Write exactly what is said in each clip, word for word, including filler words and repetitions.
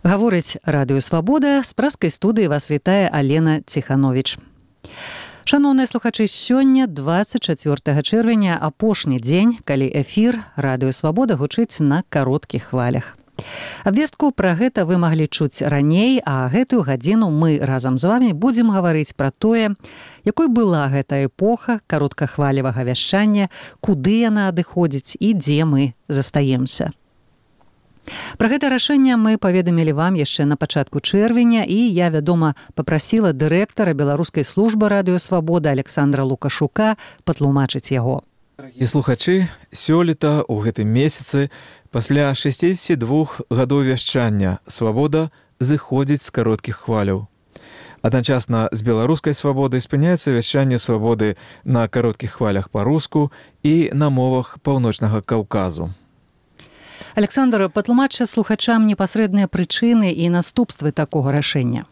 Гаворыць Радыё Свабода, з праскай студыі вас вітае Алена Ціхановіч. Шаноўныя слухачы, сёння дваццаць чацвёртага чэрвеня, апошні дзень, калі эфір Радыё Свабода гучыць на кароткіх хвалях. Абвестку пра гэта вы маглі чуць раней, а гэтую гадзіну мы разам з вамі будзем гаварыць пра тое, якой была гэта эпоха кароткахвалевага вяшчання, куды яна адыходзіць і дзе мы застаемся. Пра гэта рашэнне мы паведамілі вам яшчэ на пачатку чэрвеня, і я, вядома, папрасіла дырэктара беларускай службы Радыё Свабода Александра Лукашука патлумачыць яго. Дарагія слухачы, сёлета ў гэтым месяцы пасля шэсцідзесяці двух гадоў вяшчання Свабода зыходзіць з кароткіх хваляў. Адначасна з беларускай свабодай спыняецца вяшчанне Свабоды на кароткіх хвалях па-руску і на мовах Паўночнага Каўказу. Александр, патлумачце слухачам непасрэдныя прычыны і наступствы такога рашэння.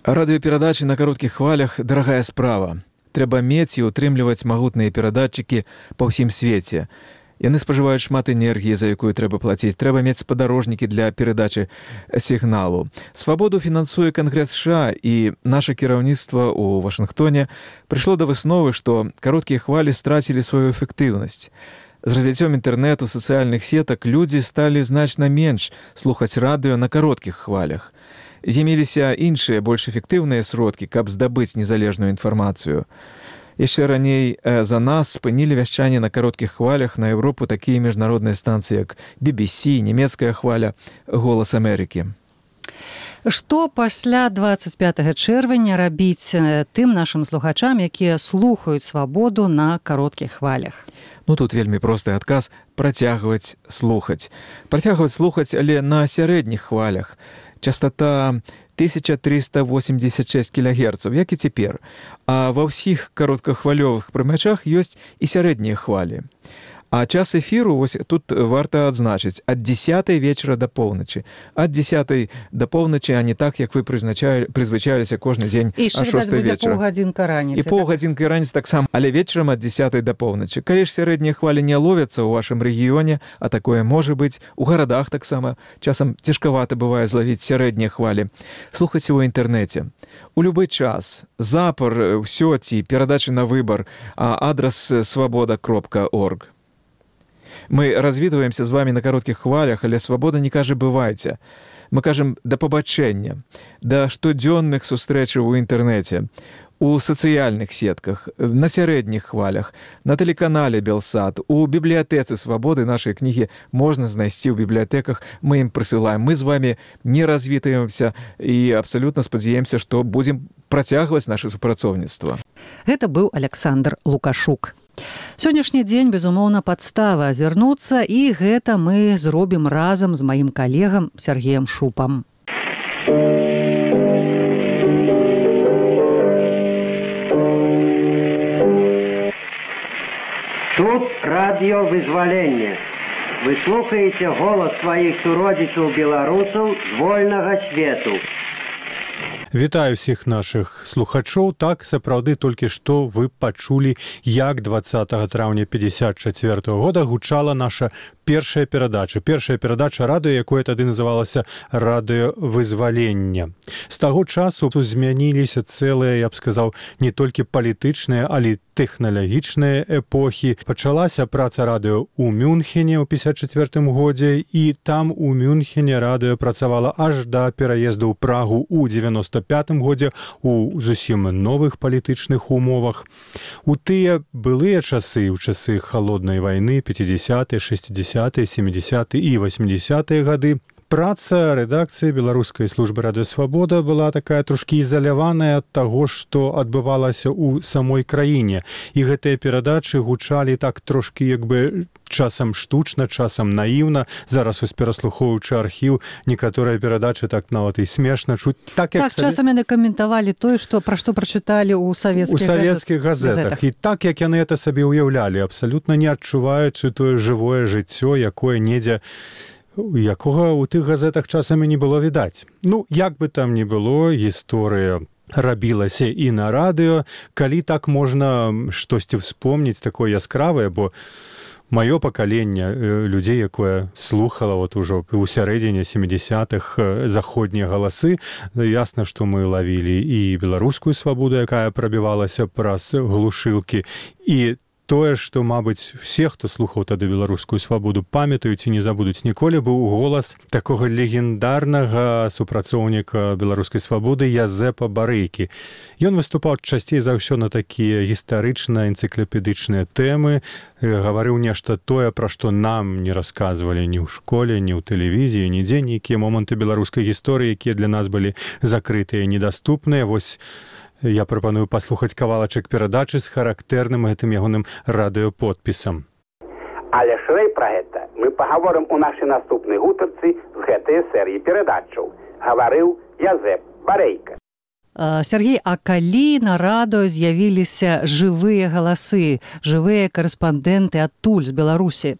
Радыёперадачы на кароткіх хвалях – дарагая справа. Трэба мець і ўтрымліваць магутныя перадатчыкі па ўсім свеце. Яны спажываюць шмат энергіі, за якую трэба плаціць. Трэба мець спадарожнікі для перадачы сігналу. Свабоду фінансуе Кангрэс США, і наша кіраўніцтва ў Вашынгтоне прыйшло да высновы, што кароткія хвалі страцілі сваю эфектыўнасць. З развіццём інтэрнэту, сацыяльных сетак людзі сталі значна менш слухаць радыё на кароткіх хвалях. З'явіліся іншыя, больш эфектыўныя сродкі, каб здабыць незалежную інфармацыю. Яшчэ раней за нас спынілі вяшчанне на кароткіх хвалях на Еўропу такія міжнародныя станцыі, як би би сі, нямецкая хваля, Голас Амерыкі. Што пасля дваццаць пятага чэрвеня рабіць тым нашым слухачам, якія слухаюць Свабоду на кароткіх хвалях? Ну, тут вельмі просты адказ – працягваць слухаць. Працягваць слухаць, але на сярэдніх хвалях. Частота тысяча трыста восемьдесят шесть кілогерцаў, як і цяпер. А ва ўсіх кароткахвалёвых прымячах ёсць і сярэднія хвалі. А час эфіру, вось тут варта адзначыць, ад дзесятай вечара да поўначы. Ад дзесятай да поўначы, а не так, як вы прызвычаіліся кожны дзень а шостай вечара. І паўгадзінка раніцы. І паўгадзінка раніцы таксама, але вечарам ад дзесятай да поўначы. Калі ж сярэднія хвалі не ловяцца ў вашым рэгіёне, а такое можа быць, у гарадах таксама, часам цяжкавата бывае злавіць сярэднія хвалі. Слухайце ў інтэрнэце. У любы час. Запар, ўсё ці перадачы на выбар, а адрас свабода кропка орг. Мы развітваемся з вами на кароткіх хвалях, але Свабода не кажа «бывайце». Мы кажам «да пабачэння», да штодзённых сустрэчаў у інтэрнэце, у сацыяльных сетках, на сярэдніх хвалях, на тэлеканале Белсат, у бібліятэцы Свабоды нашай кнігі можна знайсці ў бібліятэках, мы ім прысылаем. Мы з вами не развітваемся і абсалютна спадзяемся, што будзем працягваць наша супрацоўніцтва. Гэта быў Александр Лукашук. Сённяшні дзень, безумоўна, падстава азірнуцца, і гэта мы зробім разам з маім калегам Сергеем Шупам. Тут радыё «Вызваленне». Вы слухаеце голас сваіх суродзічаў-беларусаў з вольнага свету. Вітаю ўсіх нашых слухачоў. Так, сапраўды, толькі што вы пачулі, як дваццатага траўня пятьдесят чацвёртага года гучала наша першая перадача. Першая перадача радыё, якое тады называлася «Радыё Вызвалення». З таго часу змяніліся цэлыя, я б сказаў, не толькі палітычныя, але тэхналагічныя эпохі. Пачалася праца радыё ў Мюнхене ў пятьдесят чацвёртым годзе, і там у Мюнхене радыё працавала аж да пераезду ў Прагу ў девяносто пятым годзе у зусім новых палітычных умовах. У тыя былыя часы, у часы халоднай вайны, пятидесятыя, шестидесятыя, семидесятыя і восьмидесятыя гады, праца рэдакцыі беларускай службы Радыё Свабода была такая трошкі ізаляваная ад таго, што адбывалася ў самой краіне. І гэтыя перадачы гучалі так трошкі як бы часам штучна, часам наіўна. Зараз вось пераслухоўваючы архіў, некаторыя перадачы так нават і смешна чуць. Так, як так савет... часам яны каментавалі тое, што пра што прачыталі ў савецкіх, у савецкіх газетах. газетах. І так, як яны гэта сабе ўяўлялі, абсалютна не адчуваючы тое жывое жыццё, якое недзе якога ў тых газетах часамі не было відаць. Ну, як бы там ні было, гісторыя рабілася і на радыё, калі так можна штосьці вспомніць такое яскравае, бо маё пакаленне людзей, якое слухала вот ужо у сярэдзіне сямідзясятых заходнія галасы, ясна, што мы лавілі і беларускую свабоду, якая прабівалася праз глушылкі, і тое, што, мабыць, все, хто слухаў тады беларускую свабоду, памятаюць і не забудуць ніколі, быў голас такога легендарнага супрацоўніка беларускай свабоды Язэпа Барэйкі. Ён выступаў часцей за ўсё на такія гістарычныя, энцыклапедычныя тэмы, гаварыў нешта тое, пра што нам не расказвалі ні ў школе, ні ў тэлевізіі, нідзе, нейкія моманты беларускай гісторыі, якія для нас былі закрытыя і недаступныя. Вось я прапаную паслухаць кавалачак перадачы з характэрным гэтым ягоным радыёподпісам. Але шырэй пра гэта мы пагаворым у нашай наступнай гутарцы з гэтай серыі перадачаў. Гаварыў Язэп Барэйка. Сергей, а калі на радыё з'явіліся жывыя галасы, жывыя карэспандэнты адтуль з Беларусі?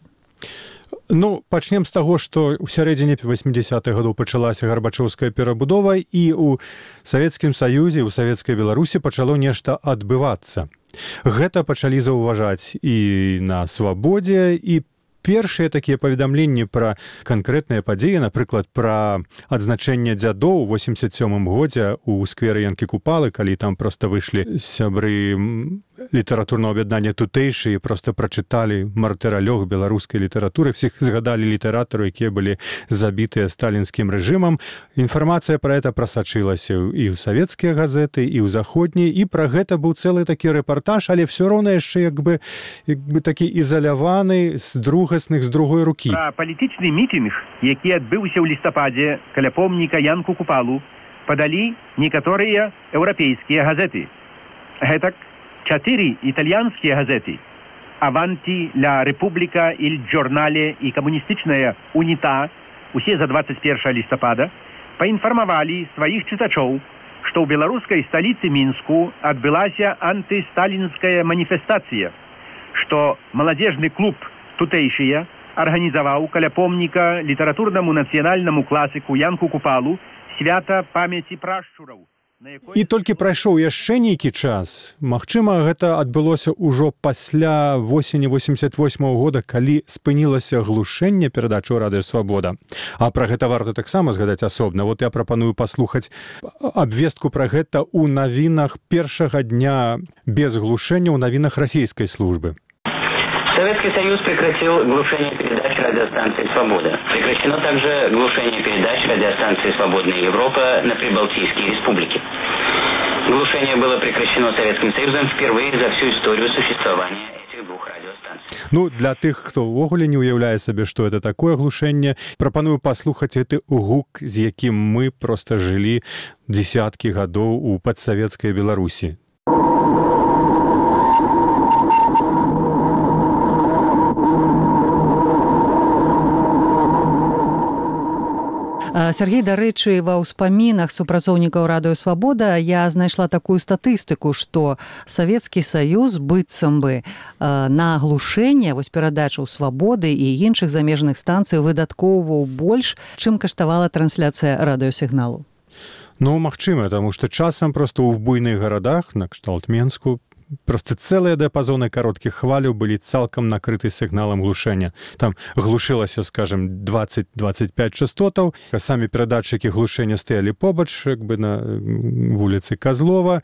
Ну, пачнем з таго, што ў сярэдзіне васьмідзясятых гадоў пачалася гарбачоўская перабудова, і ў Савецкім Саюзе, у Савецкай Беларусі пачало нешта адбывацца. Гэта пачалі заўважаць і на свабодзе, і першыя такія паведамленні пра канкрэтныя падзеі, напрыклад, пра адзначэнне дзядоў у восемьдесят сёмым годзе ў скверы Янкі Купалы, калі там проста выйшлі сябры літаратурного аб'яднання тутэйшы і проста прачыталі мартыралёг беларускай літаратуры, всіх згадалі літаратару, якія былі забітыя сталінскім рэжымам. Інфармацыя пра гэта прасачылася і ў савецкія газеты, і ў заходнія, і пра гэта быў цэлы такі рэпартаж, але все роўна яшчэ як бы, як бы такі ізаляваны з другасных, з другой рукі. Пра палітычны мітынг, які адбыўся ў лістападзе каля помніка Янку Купалу, падалі некаторыя еўрапейскія газеты. Гэтак чатыры італьянскія газеты «Аванти», «Ля Рэпубліка», «Иль Джорнале» і камуністычная «Уніта», усе за двадцать першага лістапада, паінфармавалі сваіх чытачоў, што ў беларускай сталіцы Мінску адбылася антысталінская маніфестацыя, што маладзежны клуб тутэйшыя арганізаваў каля помніка літаратурнаму нацыянальнаму класіку Янку Купалу свята памяці прашчураў. І толькі прайшоў яшчэ нейкі час. Магчыма, гэта адбылося ўжо пасля восені восемьдесят восьмага года, калі спынілася глушэнне перадачу радыё Свабода. А пра гэта варта таксама згадаць асобна. Вот я прапаную паслухаць абвестку пра гэта ў навінах першага дня без глушэння ў навінах расійскай службы. Советский Союз прекратил глушение передач радиостанции «Свобода». Прекращено также глушение передач радиостанции «Свободная Европа» на Прибалтийские республики. Глушение было прекращено Советским Союзом впервые за всю историю существования этих двух радиостанций. Ну, для тых, хто ўвогуле не ўяўляе сабе, што это такое глушэнне, прапаную паслухаць гэты гук, з якім мы проста жылі дзесяткі гадоў у падсавецкай Беларусі. Сергей, дарэчы, ва ўспамінах супрацоўнікаў радыё Свабода я знайшла такую статыстыку, што Савецкі Саюз быццам бы на глушэнне вось перадачаў Свабоды і іншых замежных станцый выдаткоўваў больш, чым каштавала трансляцыя радыёсігналу. Ну, магчыма, таму што часам проста ў буйных гарадах, на кшталт Менску, просто цэлыя дыяпазоны кароткіх хваляў былі цалкам накрыты сігналам глушэння. Там глушылася, скажем, двадцать - двадцать пять частотаў, а самі перадатчыкі глушэння стаялі побач, як бы на вуліцы Казлова,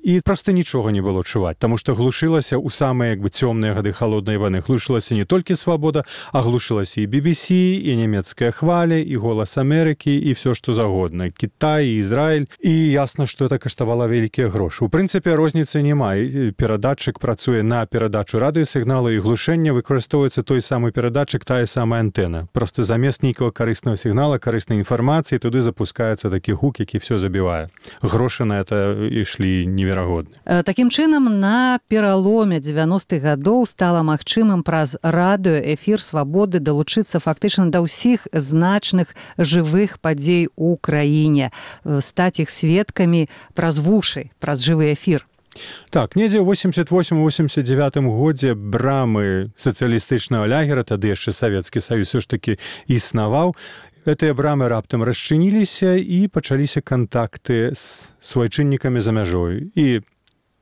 і проста нічога не было чуваць, таму што глушылася ў самыя як бы цёмныя гады халоднай вайны. Глушылася не толькі Свабода, а глушылася і би би сі, і нямецкая хваля, і Голас Амерыкі, і все што загодна, Кітай, і Ізраіль. І ясна, што это каштавала вялікія грошы. У прынцыпе, розніцы няма. Перадатчык працуе на перадачу радыёсігналу, і глушэння выкарыстоўваецца той самы перадатчык, тая самая антэна. Проста замест нейкага карыснага сігнала, карыснай інфармацыі, туды запускаецца такі гук, які все забівае. Грошы на это ішлі неверагодны. Такім чынам, на пераломе дзевяностых гадоў стала магчымым праз радыёэфір Свабоды далучыцца фактычна да ўсіх значных жывых падзей у краіне, стаць іх сведкамі праз вушы, праз жывы эфір. Так, недзе ў восемьдесят восьмым - восемьдесят девятым годзе брамы сацыялістычнага лагера, тады яшчэ Савецкі Саюз ўсё ж такі існаваў. Гэтыя брамы раптам расчыніліся і пачаліся кантакты з суайчыннікамі за мяжой. І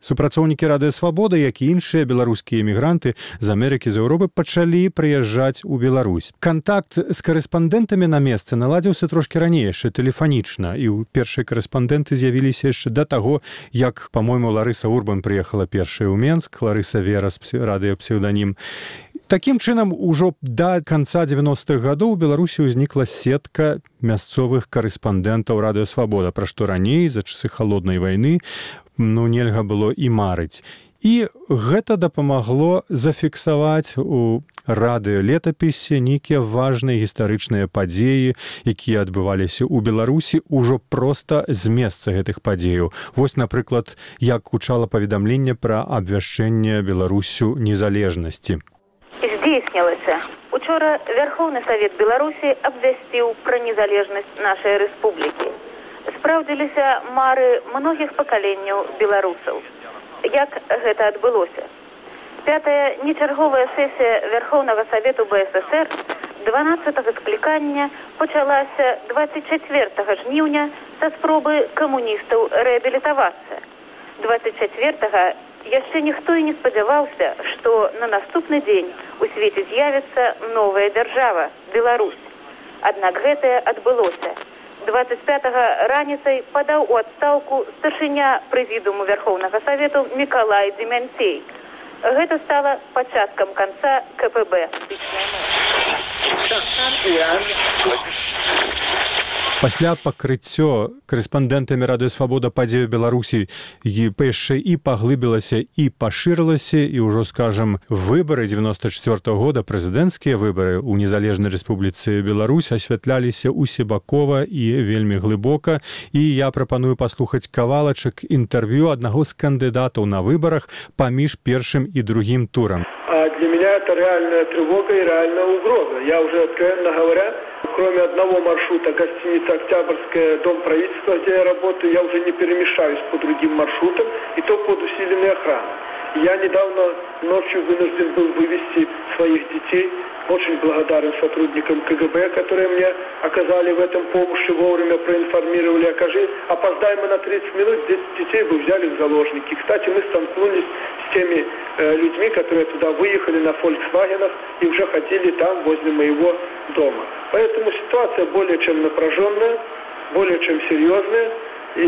Супрацоўнікі радыё Свабода, як і іншыя беларускія эмігранты з Амерыкі, з Еўропы пачалі прыязджаць у Беларусь. Кантакт з карэспандэнтамі на месцы наладзіўся трошкі раней, яшчэ тэлефанічна, і ў першыя карэспандэнты з'явіліся яшчэ да таго, як, па-мойму, Ларыса Урбан прыехала першая ў Менск, Ларыса Верас, радыёпсеўданім. Такім чынам, ужо да канца дзевяностых гадоў у Беларусі ўзнікла сетка мясцовых карэспандэнтаў радыё Свабода, пра што раней, за часы халоднай вайны, ну, нельга было і марыць. І гэта дапамагло зафіксаваць у радыёлетапісе нейкія важныя гістарычныя падзеі, якія адбываліся ў Беларусі ўжо проста з месца гэтых падзеяў. Вось, напрыклад, як гучала паведамленне пра абвяшчэнне Беларусю незалежнасці. Здзейснілася. Учора Верховны Савет Беларусі абвясціў пра незалежнасць нашай рэспублікі. Спраўдзіліся мары многіх пакаленняў беларусаў. Як гэта адбылося? Пятая нечарговая сесія Верховнага Савету бэ эс эсэр дванаццатага склікання пачалася дваццаць чацвёртага жніўня са спробы камуністаў рэабілітавацца. дваццаць чацвёртага яшчэ ніхто і не спадзяваўся, што на наступны дзень у свеце з'явіцца новая дзяржава – Беларусь. Аднак гэтае адбылося. дваццаць пятага раніцай падаў у адстаўку старшыня прэзідыуму Верховнага Савету Мікалай Дземянцей. Гэта стала пачаткам канца ка пэ бэ. Пасля пакрыццё карэспандэнтамі радыё Свабода падзею Беларусі яшчэ і паглыбілася і пашырылася, і ўжо, скажам, выбары дзевяноста чацвёртага года, прэзідэнцкія выбары ў незалежнай рэспубліцы Беларусь асвятляліся усебакова і вельмі глыбока. І я прапаную паслухаць кавалачак інтэрв'ю аднаго з кандыдатаў на выбарах паміж першым і другім турам. А для меня это реальная тревога и реальная угроза. Я уже, откровенно говоря, кроме одного маршрута, гостиница «Октябрьская», дом правительства, где я работаю, я уже не перемешаюсь по другим маршрутам, и то под усиленной охраной. Я недавно ночью вынужден был вывести своих детей. Очень благодарен сотрудникам ка гэ бэ, которые мне оказали в этом помощь, вовремя проинформировали. Окажи, опоздаем мы на тридцать минут, детей бы взяли в заложники. Кстати, мы столкнулись с теми э, людьми, которые туда выехали на «Фольксвагенах» и уже ходили там, возле моего дома. Поэтому ситуация более чем напряженная, более чем серьезная. И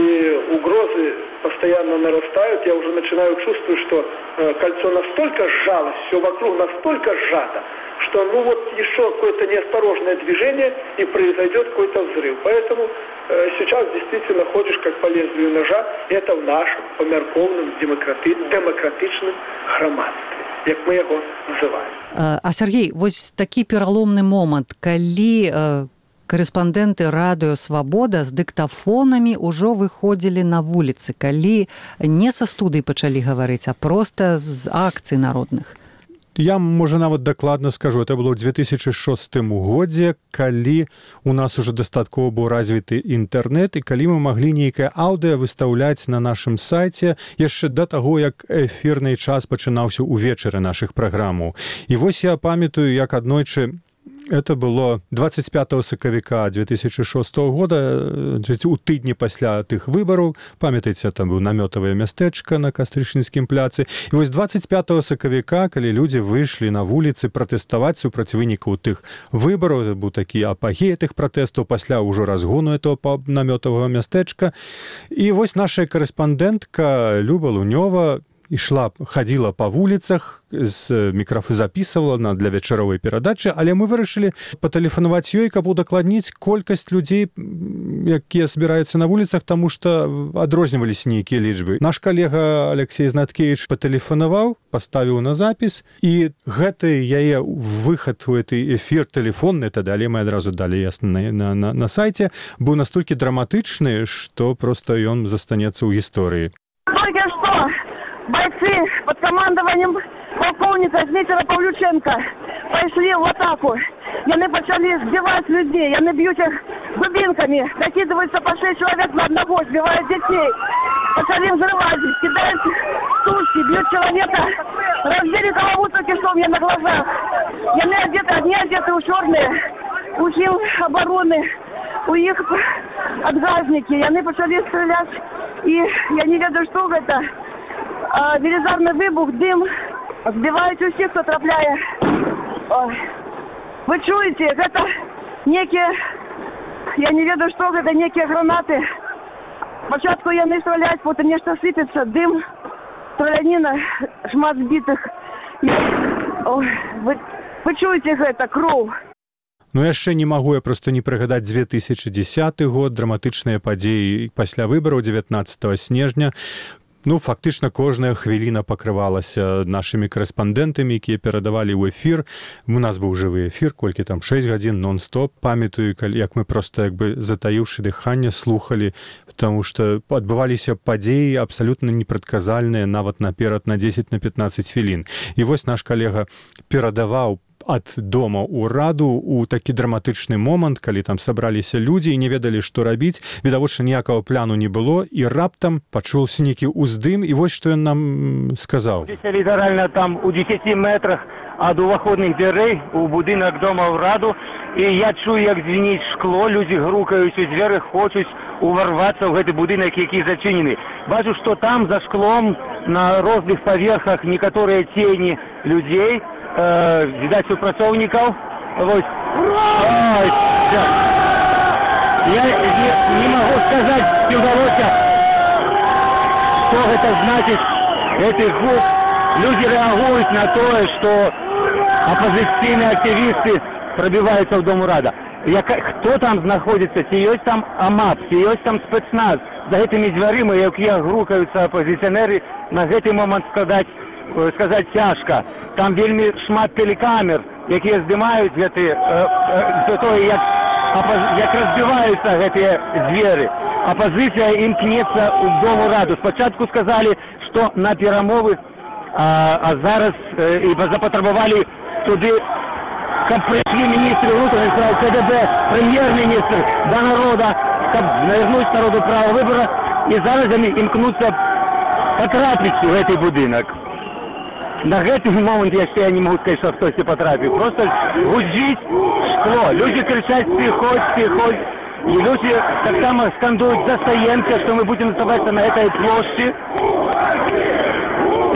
угрозы постоянно нарастают. Я уже начинаю чувствовать, что э, кольцо настолько сжалось, все вокруг настолько сжато, что ну вот еще какое-то неосторожное движение и произойдет какой-то взрыв. Поэтому э, сейчас действительно ходишь как по лезвию ножа. Это в нашем померковном демократи... демократичном громадстве, як мы его называем. А, а Сергей, вось такі пераломны момант, калі э... карэспандэнты радыё Свабода з дыктафонамі ўжо выходзілі на вуліцы, калі не са студый пачалі гаварыць, а проста з акцый народных. Я, можа, нават дакладна скажу, это было ў две тысячы шостым годзе, калі у нас уже дастаткова быў развіты інтэрнэт, і калі мы маглі нейкае аўдыё выстаўляць на нашым сайце яшчэ да таго, як эфірны час пачынаўся ўвечары нашых праграмаў. І вось я памятаю, як аднойчы это было двадцать пятого сакавіка две тысячи шостого года, у тыдні пасля тых выбараў. Памятаеце, там быў намётавае мястэчка на Кастрычніцкім пляцы. І вось двадцать пятого сакавіка, калі людзі выйшлі на вуліцы пратэставаць супраць вынікаў тых выбараў, это быў такі апагей тых пратэстаў пасля ўжо разгону этого намётавага мястэчка. І вось наша карэспандэнтка Люба Лунёва ішла, хадзіла па вуліцах, з мікрафы запісывала на для вечаровай перадачы, але мы вырашылі патэлефанаваць ёй, каб удакладніць колькасць людзей, якія збіраюцца на вуліцах, таму што адрозніваліся нейкія лічбы. Наш калега Алексей Знаткевич патэлефанаваў, паставіў на запіс, і гэты яе выхад у гэты эфір тэлефонны, тады, але мы адразу далі ясна на, на, на, на сайце, быў настолькі драматычны, што проста ён застанецца ў гісторыі. Только что бойцы под командованием полковника Дмитрия Павлюченко пошли в атаку. Яны почали сбивать людей, яны бьют их дубинками, закидываются по шесть человек на одного, сбивают детей. Почали взрывать, кидают сушки, бьют человека, разбили голову только что у меня на глазах. Яны одеты, одни одеты у черные, у сил обороны, у их отгазники. Яны почали стрелять, и я не ведаю, что это. а, велізарний вибух, дим, збивають усіх, хто трапляє. Ой. Ви чуєте, це некі, я не ведаю, що це, некі гранати. Спочатку я не стріляють, потім нечто сипеться, дим, стрілянина, шмат збитих. Ой, ви, ви чуєте це, кров. Ну яшчэ не магу я просто не прыгадаць две тысячы дзесяты год, драматычныя падзеі пасля выбараў дзевятнаццатага снежня. Ну, фактычна кожная хвіліна пакрывалася нашымі корэспандэнтамі, якія перадавалі ў эфір. У нас быў жывы эфір, колькі там шэсць гадзін нон-стоп. Памятаю, як мы проста як бы затаіўшы дыханне слухалі, потому што адбываліся падзеі абсалютна непрадказальныя нават наперад на дзесяць на пятнаццаць хвілін. І вось наш калега перадаваў ад дома ў раду у такі драматычны момант, калі там сабраліся людзі і не ведалі, што рабіць. Відавочна, ніякага пляну не было, і раптам пачуўся нейкі ўздым, і вось што ён нам сказаў. Літаральна там у дзесяці метрах ад уваходных дзвярэй у будынак дома ў раду, і я чую, як звініць шкло, людзі грукаюць у дзверы, хочуць уварвацца ў гэты будынак, які зачынены. Бачу, што там за шклом на розных паверхах некаторыя цені людзей, Э, видать, супрацоўнікаў. Вось. Ой, да. Я не, не могу сказать, ці ўдалося, што гэта значыць, гэты гук. Люди реагуюць на тое, што апозіцыйныя актывісты прабіваюцца ў дом урада. Як, хто там знаходзіцца? Ці ёсць там АМАП, ці ёсць там спецназ? За гэтымі дзвярыма, якія грукаюцца апозіцыянеры, на гэты момант складаць сказаць цяжка. Там вельмі шмат тэлекамер, якія здымаюць гэты, э, э, тое, як, як разбіваюцца гэтыя дзверы. Апозіцыя імкнецца ў дом ураду. Спачатку сказалі, што на перамовы, а, а зараз э, і запатрабавалі туды, каб прыйшлі міністры внутренних справ, КДБ, прэм'ер-міністр да народа, каб навярнуць народу права выбора, і зараз яны імкнуцца патрапіць у гэты будынак. На гэты момант яшчэ я не могу сказаць, што хтосьці патрапіў. Просто гудзіць шкло. Людзі крычаць «Приходь, приходь». І людзі таксама скандуюць «Застаемся», што мы будзем оставаться на этой плошчы.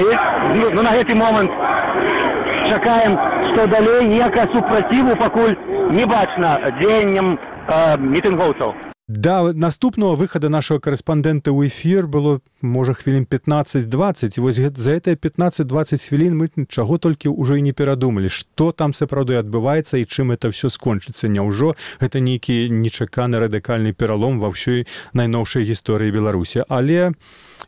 І ну, ну, на гэты момант чакаем, што далей ніякага супраціву пакуль не бачна дзеянням э, мітынгоўцаў. Да наступного выхада нашего корэспандэнта ў эфір было, можа, хвілін пятнаццаць-дваццаць, і вось за гэтыя пятнаццаць-дваццаць хвілін мы чаго толькі ўжо і не перадумалі, што там сапраўды адбываецца і чым это все скончыцца. Няўжо гэта нейкі нечаканы радыкальны пералом ва ўсёй найноўшай гісторыі Беларусі. Але,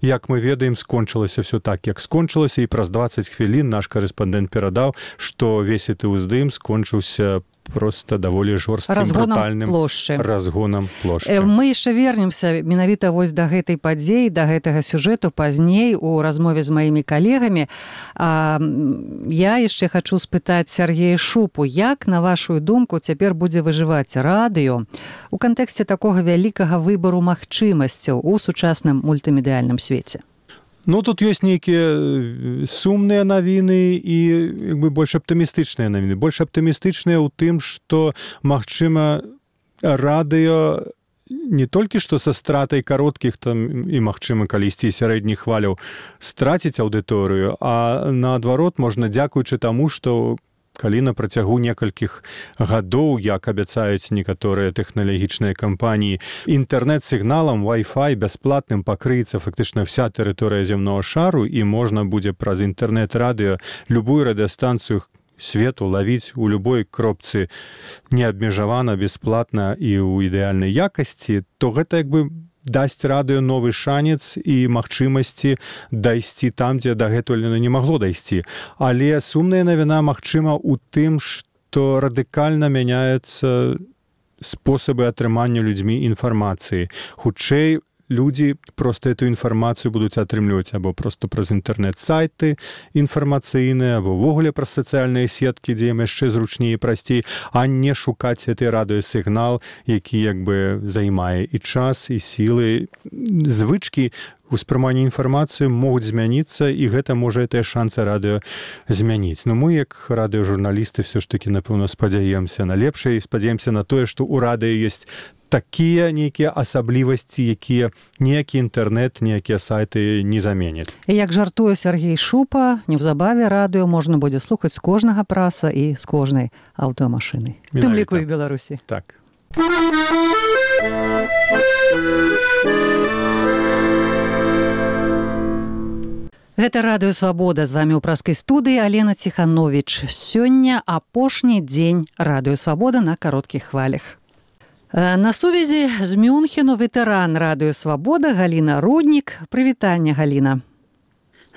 як мы ведаем, скончылася все так, як скончылася, і праз дваццаць хвілін наш корэспандэнт перадаў, што весь гэты ўздым скончыўся просто даволі жорсткім, брутальным плошчы. разгонам плошчы. Мы яшчэ вернемся менавіта вось да гэтай падзеі, да гэтага сюжэту пазней у размове з маімі калегамі. А, я яшчэ хачу спытаць Сергея Шупу, як, на вашу думку, цяпер будзе выжываць радыё у кантэксце такога вялікага выбару магчымасцяў у сучасным мультымедыяльным свеце? Ну, тут ёсць нейкія сумныя навіны і як бы больш аптымістычныя навіны. Больш аптымістычныя ў тым, што, магчыма, радыё не толькі што са стратай кароткіх там і, магчыма, калісьці сярэдніх хваляў страціць аўдыторыю, а наадварот можна, дзякуючы таму, што калі на працягу некалькіх гадоў, як абяцаюць некаторыя тэхналагічныя кампаніі, інтэрнэт-сігналам Wi-Fi бясплатным пакрыецца фактычна вся тэрыторыя зямнога шару, і можна будзе праз інтэрнэт-радыё любую радыёстанцыю свету лавіць у любой кропцы неабмежавана, бясплатна і ў ідэальнай якасці, то гэта як бы дасць радыё новы шанец і магчымасці дайсці там, дзе дагэтуль не магло дайсці. Але сумная навіна, магчыма, у тым, што радыкальна мяняюцца спосабы атрымання людзьмі інфармацыі. Хутчэй, людзі проста эту інфармацыю будуць атрымліваць або проста праз інтэрнэт-сайты інфармацыйныя, або ўвогуле праз сацыяльныя сеткі, дзе ім яшчэ зручней і прасцей, а не шукаць гэты радыёсігнал, які як бы займае і час, і сілы. Звычкі успрыманні інфармацыі могуць змяніцца, і гэта можа тыя шансы радыё змяніць. Но мы, як радыёжурналісты, все ж таки, напэўна, спадзяемся на лепшае і спадзяемся на тое, што ў радыё ёсць такія нейкія асаблівасці, якія ніякі інтэрнэт, ніякія сайты не заменяць. І як жартуе Сергей Шупа, неўзабаве радыё можна будзе слухаць з кожнага праса і з кожнай аўтамашыны. У тым ліку і в Беларусі. Так. Гэта радыё «Свабода». З вамі ў праскай студыі Алена Ціхановіч. Сёння апошні дзень радыё «Свабода» на кароткіх хвалях. На сувязі з Мюнхену ветэран радыё «Свабода» Галіна Руднік. Прывітанне, Галіна.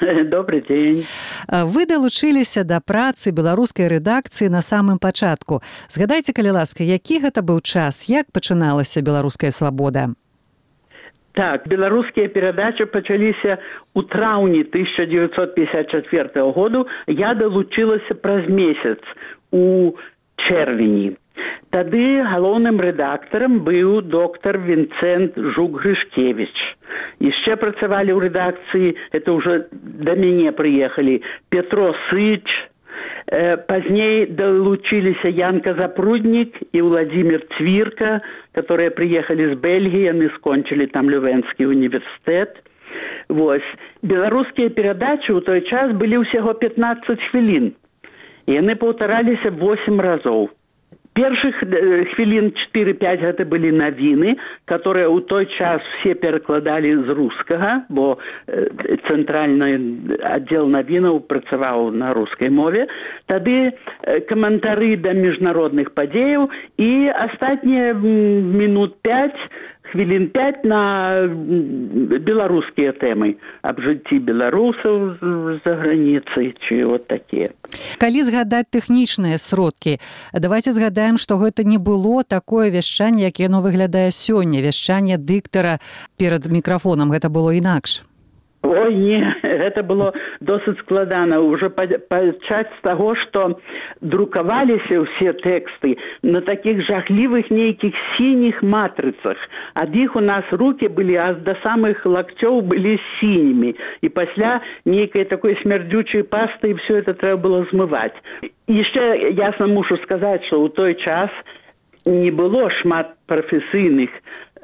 Добрый дзень. Вы далучыліся да працы беларускай рэдакцыі на самым пачатку. Згадайце, калі ласка, які гэта быў час, як пачыналася беларуская «Свабода»? Так, беларускія перадачы пачаліся ў траўні тысяча дзевяцьсот пятьдесят четвёртого году. Я далучылася праз месяц у чэрвені. Тады галоўным рэдактарам быў доктар Вінцэнт Жук-Грышкевіч. Яшчэ працавалі ў рэдакцыі, это ўжо да мяне прыехалі, Петро Сыч, э, пазней далучыліся Янка Запруднік і Владзімир Цвірка, которые прыехалі з Бельгіі, яны скончылі там Лювенскі універсітэт. Вось. Беларускія перадачы ў той час былі ўсяго пятнаццаць хвілін. І яны паўтараліся восемь разоў. Першых хвілін чатыры-пяць гэта былі навіны, которые ў той час все перакладалі з рускага, бо цэнтральны аддзел навінаў працаваў на рускай мове. Тады каментары да міжнародных падзеяў і астатнія мінут пяць, хвілін пяць на беларускія тэмы аб жыцці беларусаў за граніцай, ці от такія. Калі згадаць тэхнічныя сродкі, давайте згадаем, што гэта не было такое вяшчанне, як яно выглядае сёння, вяшчанне дыктара перад мікрафонам, гэта было інакш. Ой, не, гэта было досыць складана. Уже пачаць з таго, што друкаваліся ўсе тэксты на такіх жахлівых нейкіх сініх матрыцах. Ад іх у нас рукі былі, а да самых лакцёў былі сінімі. І пасля нейкай такой смярдзючай пасты все это трэба было змываць. Яшчэ ясна мушу сказаць, што ў той час не было шмат прафесійных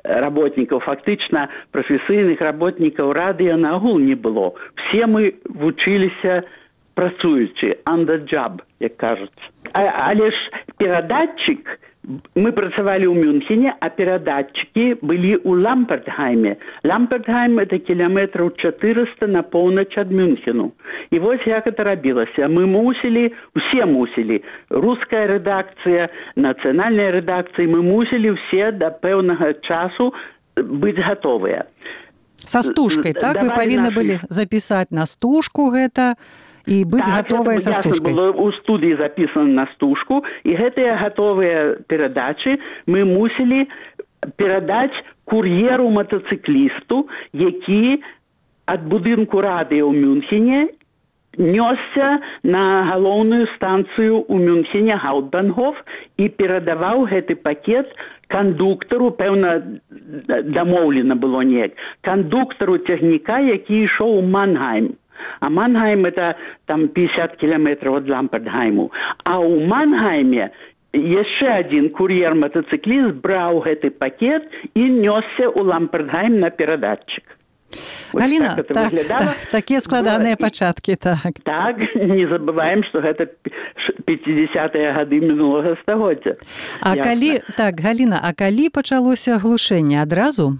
работников, фактично профессийных работников радио нагул не было. Все мы вучилися працуючи, on the job, як кажуть. А, але ж перадатчик, мы працавалі ў Мюнхене, а перадатчики былі ў Лампертгайме. Лампертгайм это кіламетраў чатырыста на поўнач ад Мюнхену. І вось як это рабілася. Мы мусілі, усе мусілі, руская рэдакцыя, нацыянальная рэдакцыя, мы мусілі все да пэўнага часу быць гатовыя. Са стужкай, так? Вы павінны былі запісаць на стужку гэта, і быць так, гатовыя са стужкай. Так, было ў студыі запісана на стужку, і гэтыя гатовыя перадачы мы мусілі перадаць кур'еру-матацыклісту, які ад будынку радыё ў Мюнхене нёсся на галоўную станцыю ў Мюнхене Гауптбангhof і перадаваў гэты пакет кандуктару, пэўна, дамоўлена было неяк, кандуктару цягніка, які ішоў у Мангайм. А Мангайм это там пятьдесят километров от Лампертгайму. А у Мангайме яшчэ один кур'ер-матацыкліст браў гэты пакет і нёсся ў Лампертгайм на перадатчик. Галіна, так, так, так, такія складаныя пачаткі, так. Так, не забываем, што гэта пятидесятые гады мінулага стагоддзя. А Ясна. Калі, так, Галіна, а калі пачалося глушэнне адразу?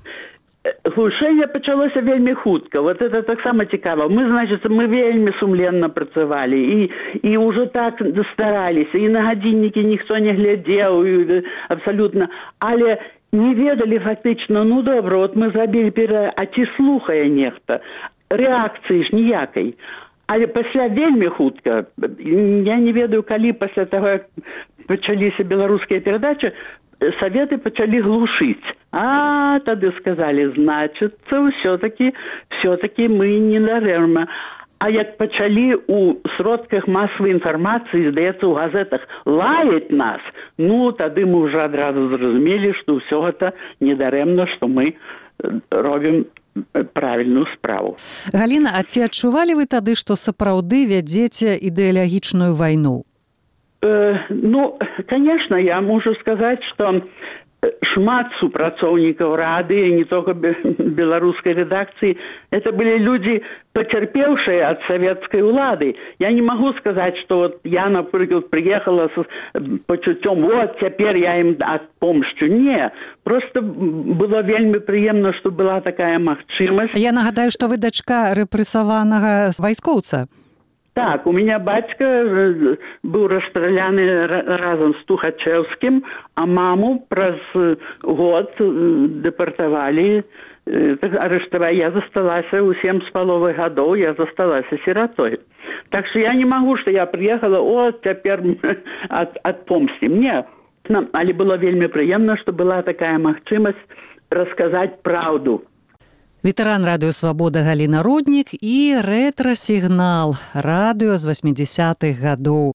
Глушэнне пачалося вельмі хутка. Вот это таксама цікава. Мы, значит, мы вельмі сумленна працавалі і, і ўжо так стараліся, і на гадзіннікі ніхто не глядзеў, абсалютна. Але не ведалі фактычна, ну добра, вот мы зрабілі пера, а ці слухае нехта? Рэакцыі ж ніякай. Але пасля вельмі хутка, я не ведаю, калі пасля таго, як пачаліся беларускія перадачы, советы пачалі глушыць. А, тады сказалі, значыцца, ўсё-такі, все-таки мы не дарэмна. А як пачалі ў сродках масавай інфармацыі, здаецца, ў газетах лаяць нас, ну, тады мы ўжо адразу зразумелі, што ўсё гэта не дарэмна, што мы робім правільную справу. Галіна, а ці адчувалі вы тады, што сапраўды вядзеце ідэалагічную вайну? Э, ну, конечно, я могу сказать, что шмат супрацоўнікаў рады, не только белорусской редакции, это были люди, потерпевшие от советской улады. Я не могу сказать, что вот я, например, приехала с почуттем, вот, теперь я им отпомщу. Не, просто было вельми приемно, что была такая магчимость. Я нагадаю, что вы дочка репрессованного войскоўца. Так, у меня батька был расстрелян разом с Тухачевским, а маму праз год депортовали, арестовали. Я засталась у семь с половой годов, я засталась сиротой. Так что я не могу, что я приехала, вот, теперь от, отпомстим. Нет, але было вельми приемно, что была такая магчимость рассказать правду. Ветэран радыё «Свабода» Галіна Роднік і рэтра-сігнал радыё з восьмидесятых гадоў.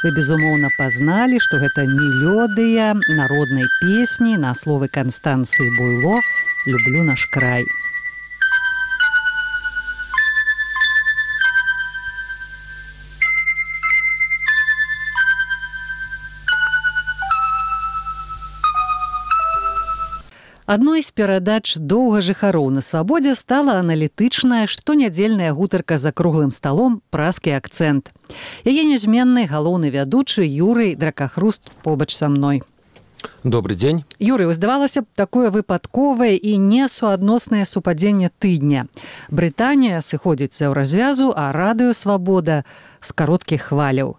Вы, безумоўна, пазналі, што гэта мелодыя народнай песні на словы Канстанцыі Буйло «Люблю наш край». Адной з перадач «Доўга жыхароў на свабодзе» стала аналітычная штонядзельная гутарка за круглым сталом «Празкі акцэнт». Яе нязменны галоўны вядучы Юрый Дракахруст побач са мной. Добрый дзень. Юрый, здавалася б, такое выпадковае і несуадноснае супадзенне тыдня. Брытанія сыходзіць з еўразвязу, а радыё «Свабода» з кароткіх хваляў.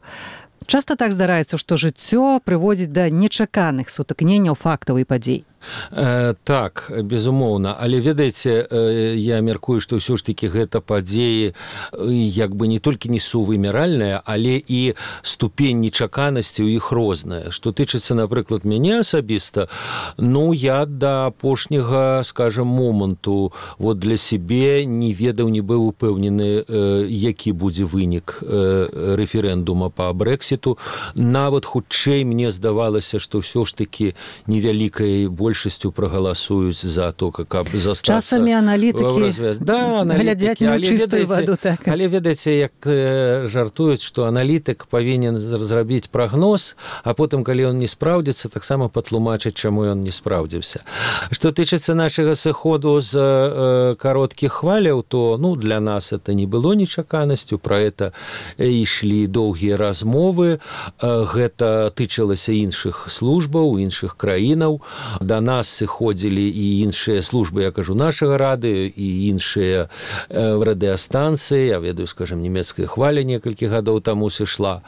Часта так здараецца, што жыццё прыводзіць да нечаканых сутыкненняў фактаў і падзей. Э, так, безумоўна, але ведаеце, э, я мяркую, што ўсё ж такі гэта падзеі э, як бы не толькі несувымяральныя, але і ступень нечаканасці ў іх розная. Што тычыцца, напрыклад, мяне асабіста, ну, я да апошняга, скажам, моманту вот для сябе не ведаў, не быў упэўнены, э, які будзе вынік э, рэферэндума па Брэксіту. Нават хутчэй мне здавалася, што ўсё ж такі невялікай больш большасцю прагаласуюць за то, каб застацца... Часамі аналітыкі да, глядзяць на чыстую ваду. Так. Але ведаеце, як э, жартуюць, што аналітык павінен зрабіць прагноз, а потым, калі ён не спраўдзіцца, таксама патлумачыць, чаму ён не спраўдзіўся. Што тычыцца нашага сыходу з э, кароткіх хваляў, то ну, для нас это не было нечаканасцю, пра гэта ішлі доўгія размовы, э, гэта тычылася іншых службаў, іншых краінаў, да нас сыходзілі і іншыя службы, я кажу, нашага радыё і іншыя э, радыастанцыі, я ведаю, скажем, нямецкая хваля некалькі гадоў таму сышла.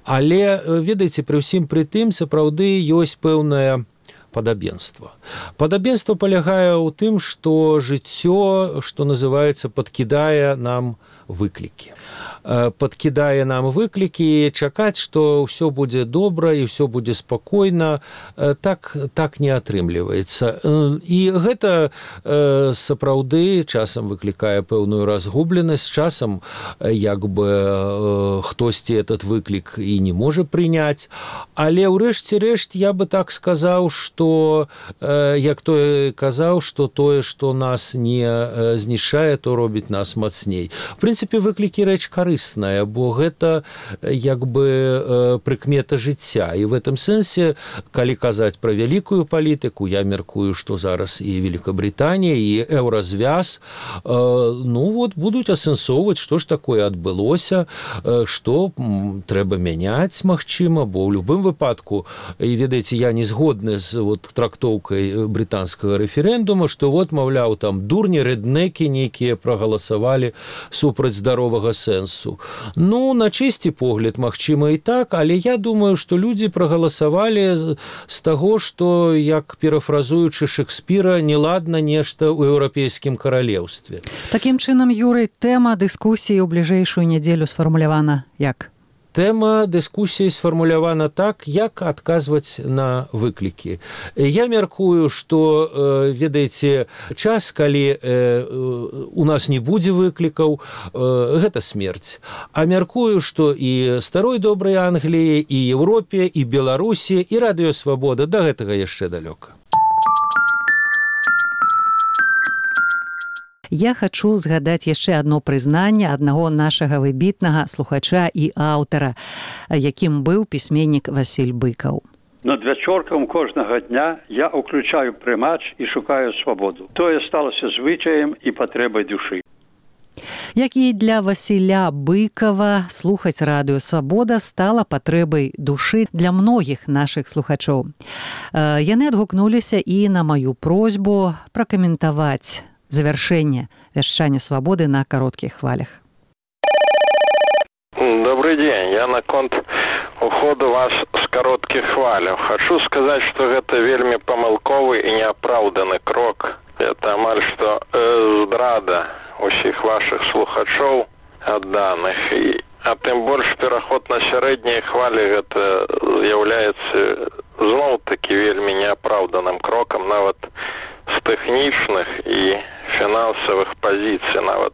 Але, ведаеце, пры ўсім пры тым, сапраўды ёсць пэўнае падабенства. Падабенства палягае ў тым, што жыццё, што называецца, падкідае нам выклікі. Падкідае нам выклікі, чакаць, што ўсё будзе добра і ўсё будзе спакойна, так, так не атрымліваецца. І гэта сапраўды часам выклікае пэўную разгубленасць, часам як бы хтосьці этот выклік і не можа прыняць, але ўрэшце рэшт я бы так сказаў, што як той казаў, што тое, што нас не знішчае, то робіць нас мацней. В прынцыпе, выклікі рэч карысная, бо гэта як бы прыкмета жыцця. І в этом сэнсе, калі казаць пра вялікую палітыку, я мяркую, што зараз і Великабрытанія, і еўразвяз, ну вот, будуць асэнсоўваць, што ж такое адбылося, што трэба мяняць, магчыма, бо ў любым выпадку, і ведаеце, я не згодны з вот, трактоўкай брытанскага рэферэндума, што вот, маўляў, там дурні, рэднекі нейкія прагаласавалі супраць здаровага сэнсу. Ну, на чысці погляд, магчыма і так, але я думаю, што людзі прагаласавалі з таго, што, як перафразуючы Шекспіра, неладна нешта ў еўрапейскім каралеўстве. Такім чынам, Юрый, тэма дыскусіі ў бліжэйшую нядзелю сфармулявана як? Тэма дыскусіі сфармулявана так, як адказваць на выклікі. Я мяркую, што, ведаеце, час, калі у нас не будзе выклікаў, гэта смерць. А мяркую, што і старой добрай Англіі, і Еўропе, і Беларусі, і радыё Свабода да гэтага яшчэ далёка. Я хачу згадаць яшчэ адно прызнанне аднаго нашага выбітнага слухача і аўтара, якім быў пісьменнік Васіль Быкаў. Над вячоркам кожнага дня я ўключаю прымач і шукаю свабоду. Тое сталася звычаем і патрэбай душы. Як і для Васіля Быкава, слухаць радыё «Свабода» стала патрэбай душы для многіх нашых слухачоў. Яны адгукнуліся і на маю просьбу пракаментаваць завяршэнне вяшчання «Свабоды» на кароткіх хвалях. Добрый день. Я наконт уходу вас с коротких хваляў. Хочу сказать, что гэта вельмі памылковы і неапраўданы крок. Это амаль што э, здрада усіх ваших слухачоў адданых. І, а тым больш пераход на сярэднія хвалі гэта з'яўляецца зноў-такі вельмі неапраўданым крокам нават з тэхнічных і фінансавых пазіцый. Нават,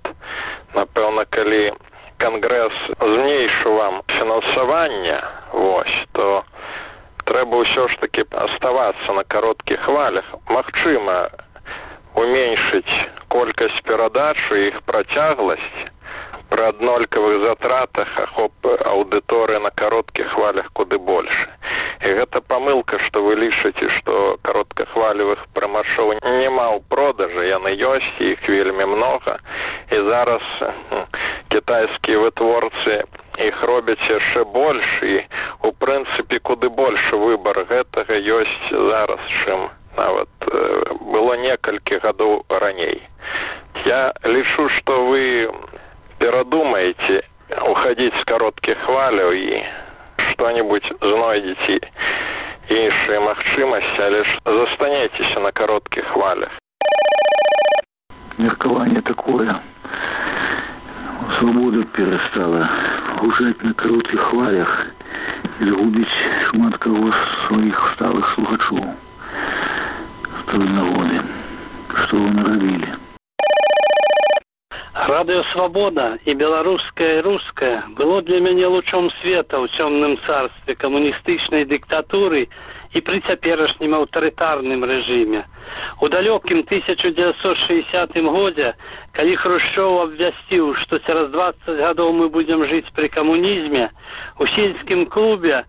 напэўна, калі Кангрэс зменшыў вам фінансаванне, вось, то трэба ўсё ж такі аставацца на кароткіх хвалях. Магчыма, уменьшыць колькасць перадач і іх працягласць пры аднолькавых затратах ахоп аўдыторыі на кароткіх хвалях куды больш. І гэта памылка, што вы лічыце, што кароткахвалевых прымашоў няма ў продажы, яны ёсць, іх вельмі многа. І зараз кітайскія вытворцы іх робяць яшчэ больш, і у прынцыпе куды большы выбар гэтага ёсць зараз, чым нават было некалькі гадоў раней. Я лічу, што вы перадумаеце уходить з кароткіх хваляў і што-нибудь знойдзеце іншыя магчымасці, але ж застанецеся на кароткіх хвалях. Меркаванне такое. Свабода перастала гучаць на кароткіх хвалях і згубіць шмат каго з сваіх сталых слухачоў. З той нагоды. Што вы нарабілі? Радыё «Свабода» і беларускае і рускае было для мяне лучом света ў цёмным царстве камуністычнай дыктатуры і пры цяперашнім аўтарытарным рэжыме. У далёкім тысяча дзевяцьсот шэсцятым годзе, калі Хрушчоў абвясціў, што цераз дваццаць гадоў мы будзем жыць пры камунізме, у сельскім клубе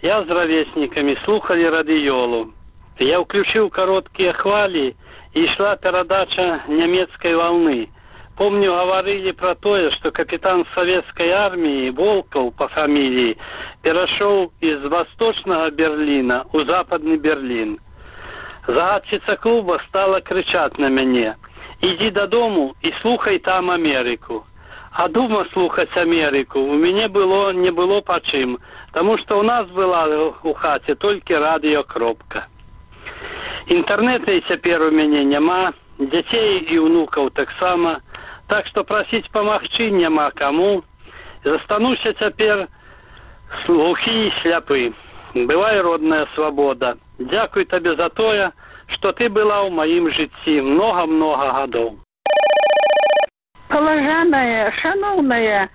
я з равеснікамі слухалі радыёлу. Я ўключыў кароткія хвалі і ішла перадача нямецкай валны. Помню, гаварылі пра тое, што капітан савецкай арміі Волкаў па фаміліі перашоў з восточнага Берліна ў западны Берлін. Загадчыца клуба стала крычаць на мяне: «Ідзі дадому і слухай там Амерыку». А дома слухаць Амерыку у мяне было не было па чым, таму што ў нас была у хаце толькі радыё-кропка. Інтэрнэта і цяпер у мяне няма, дзяцей і ўнукаў таксама. Так што прасіць памагчы няма каму. Застануся цяпер глухі і сляпы. Бывай, родная свабода. Дзякуй табе за тое, што ты была ў маім жыцці многа-многа гадоў. Паважаная, шаноўная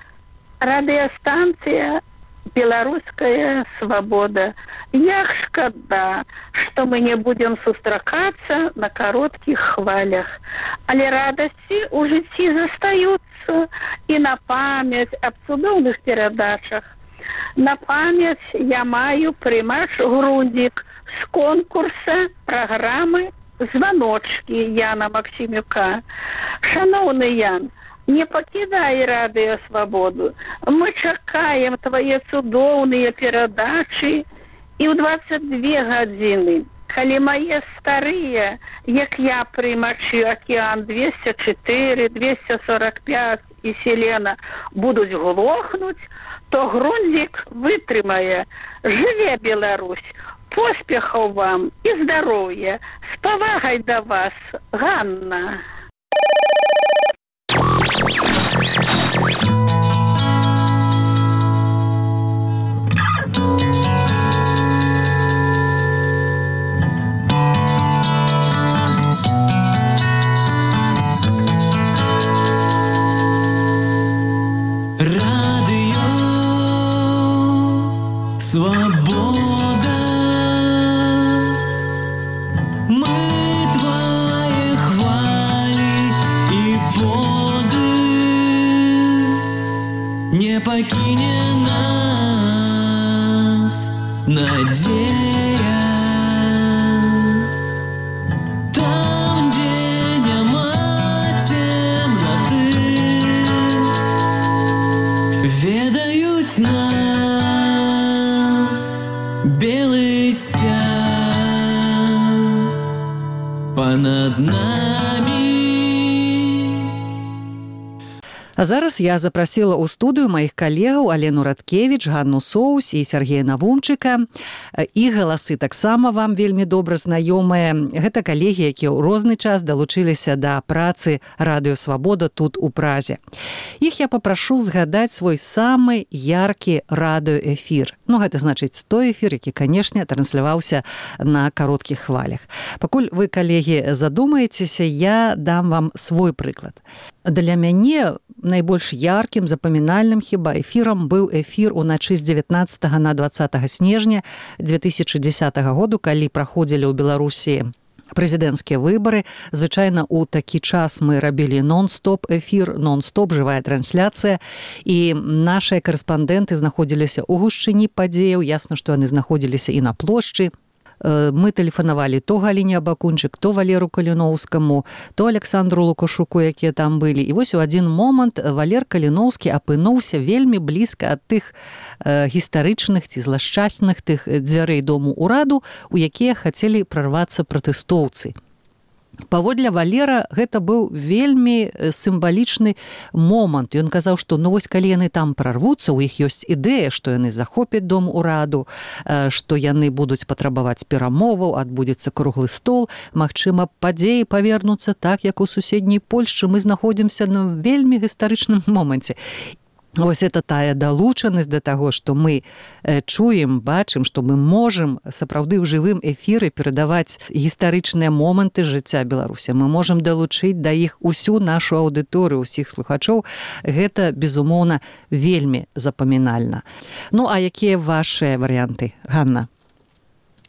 радыёстанцыя «Беларуская свабода». Як шкада, што мы не будзем сустракацца на кароткіх хвалях. Але радасці ў жыцці застаюцца і на памяць аб цудоўных перадачах. На памяць я маю прымач «Грундзік» з конкурса праграмы «Званочкі» Яна Максімюка. Шаноўны Ян, не пакідай радыё «Свабоду». Мы чакаем твае цудоўныя перадачы і ў дваццаць дзве гадзіны, калі мае старыя, як я прымачы «Акіян двести чатыры», двести сорок пять і «Селена» будуць глохнуць, то «Грундзік» вытрымае. Жыве Беларусь! Поспехаў вам і здароўя! З павагай да вас, Ганна! Мы твои хвали и поды, не покине нас надея. Там, где нема темноты, ведают нас белый стяг понад нами. А зараз я запрасіла ў студыю маіх калегаў Алену Радкевіч, Ганну Соус і Сергея Навумчыка. І галасы таксама вам вельмі добра знаёмыя. Гэта калегі, якія ў розны час далучыліся да працы Радыё Свабода тут у Празе. Іх я папрашу згадаць свой самы яркі радыёэфір. Ну, гэта значыць той эфір, які, канешне, трансляваўся на кароткіх хвалях. Пакуль вы, калегі, задумаецеся, я дам вам свой прыклад. Для мяне найбольш яркім, запамінальным хіба эфірам быў эфір уначы з дзевятнаццатага на дваццатага снежня две тысячы дзесятага году, калі праходзілі ў Беларусі прэзідэнцкія выбары. Звычайна ў такі час мы рабілі нон-стоп эфір, нон-стоп, жывая трансляцыя, і нашыя карэспандэнты знаходзіліся ў гушчыні падзеяў, ясна, што яны знаходзіліся і на плошчы. Мы тэлефанавалі то Галіне Абакунчык, то Валеру Каліноўскаму, то Александру Лукашуку, якія там былі. І вось у адзін момант Валер Каліноўскі апынуўся вельмі блізка ад тых э, гістарычных ці злашчасных тых дзвярэй дому ўраду, у якія хацелі прарвацца пратэстоўцы. Паводле Валера гэта быў вельмі сімвалічны момант. Ён казаў, што ну вось калі яны там прарвуцца, у іх ёсць ідэя, што яны захопяць дом ураду, што яны будуць патрабаваць перамоваў, адбудзецца круглы стол, магчыма, падзеі павернуцца так, як у суседняй Польшчы. Мы знаходзімся на вельмі гістарычным моманце. Вось это тая далучанасць да таго, што мы чуем, бачым, што мы можам сапраўды ў жывым эфіры перадаваць гістарычныя моманты жыцця Беларусі. Мы можам далучыць да іх усю нашу аўдыторыю, усіх слухачоў. Гэта, безумоўна, вельмі запамінальна. Ну, а якія вашыя варыянты, Ганна?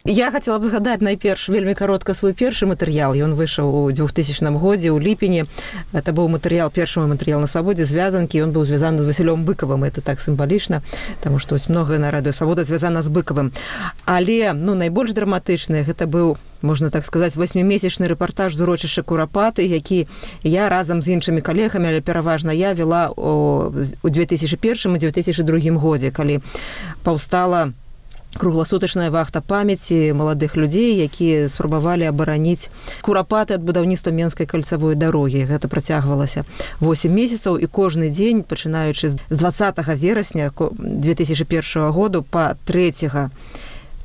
Я хацела б згадаць найперш вельмі каротка свой першы матэрыял. Ён выйшаў у двухтысячным годзе ў ліпені. Это быў матэрыял, першы матэрыял на Свабодзе, звязанкі. Ён быў звязаны з Васілём Быкавым. Это так сімвалічна, таму што многае на Радыё Свабода звязана з Быкавым. Але, ну, найбольш драматычны гэта быў, можна так сказаць, восьмімесячны рэпартаж з урочышча Курапаты, які я разам з іншымі калегамі, але пераважна я вела у две тысячы першым і две тысячы другім годзе, калі паўстала кругласутачная вахта памяці маладых людзей, якія спрабавалі абараніць Курапаты ад будаўніцтва Менскай кальцавой дарогі. Гэта працягвалася восем месяцаў, і кожны дзень, пачынаючы з дваццатага верасня две тысячы першага году па трэцяга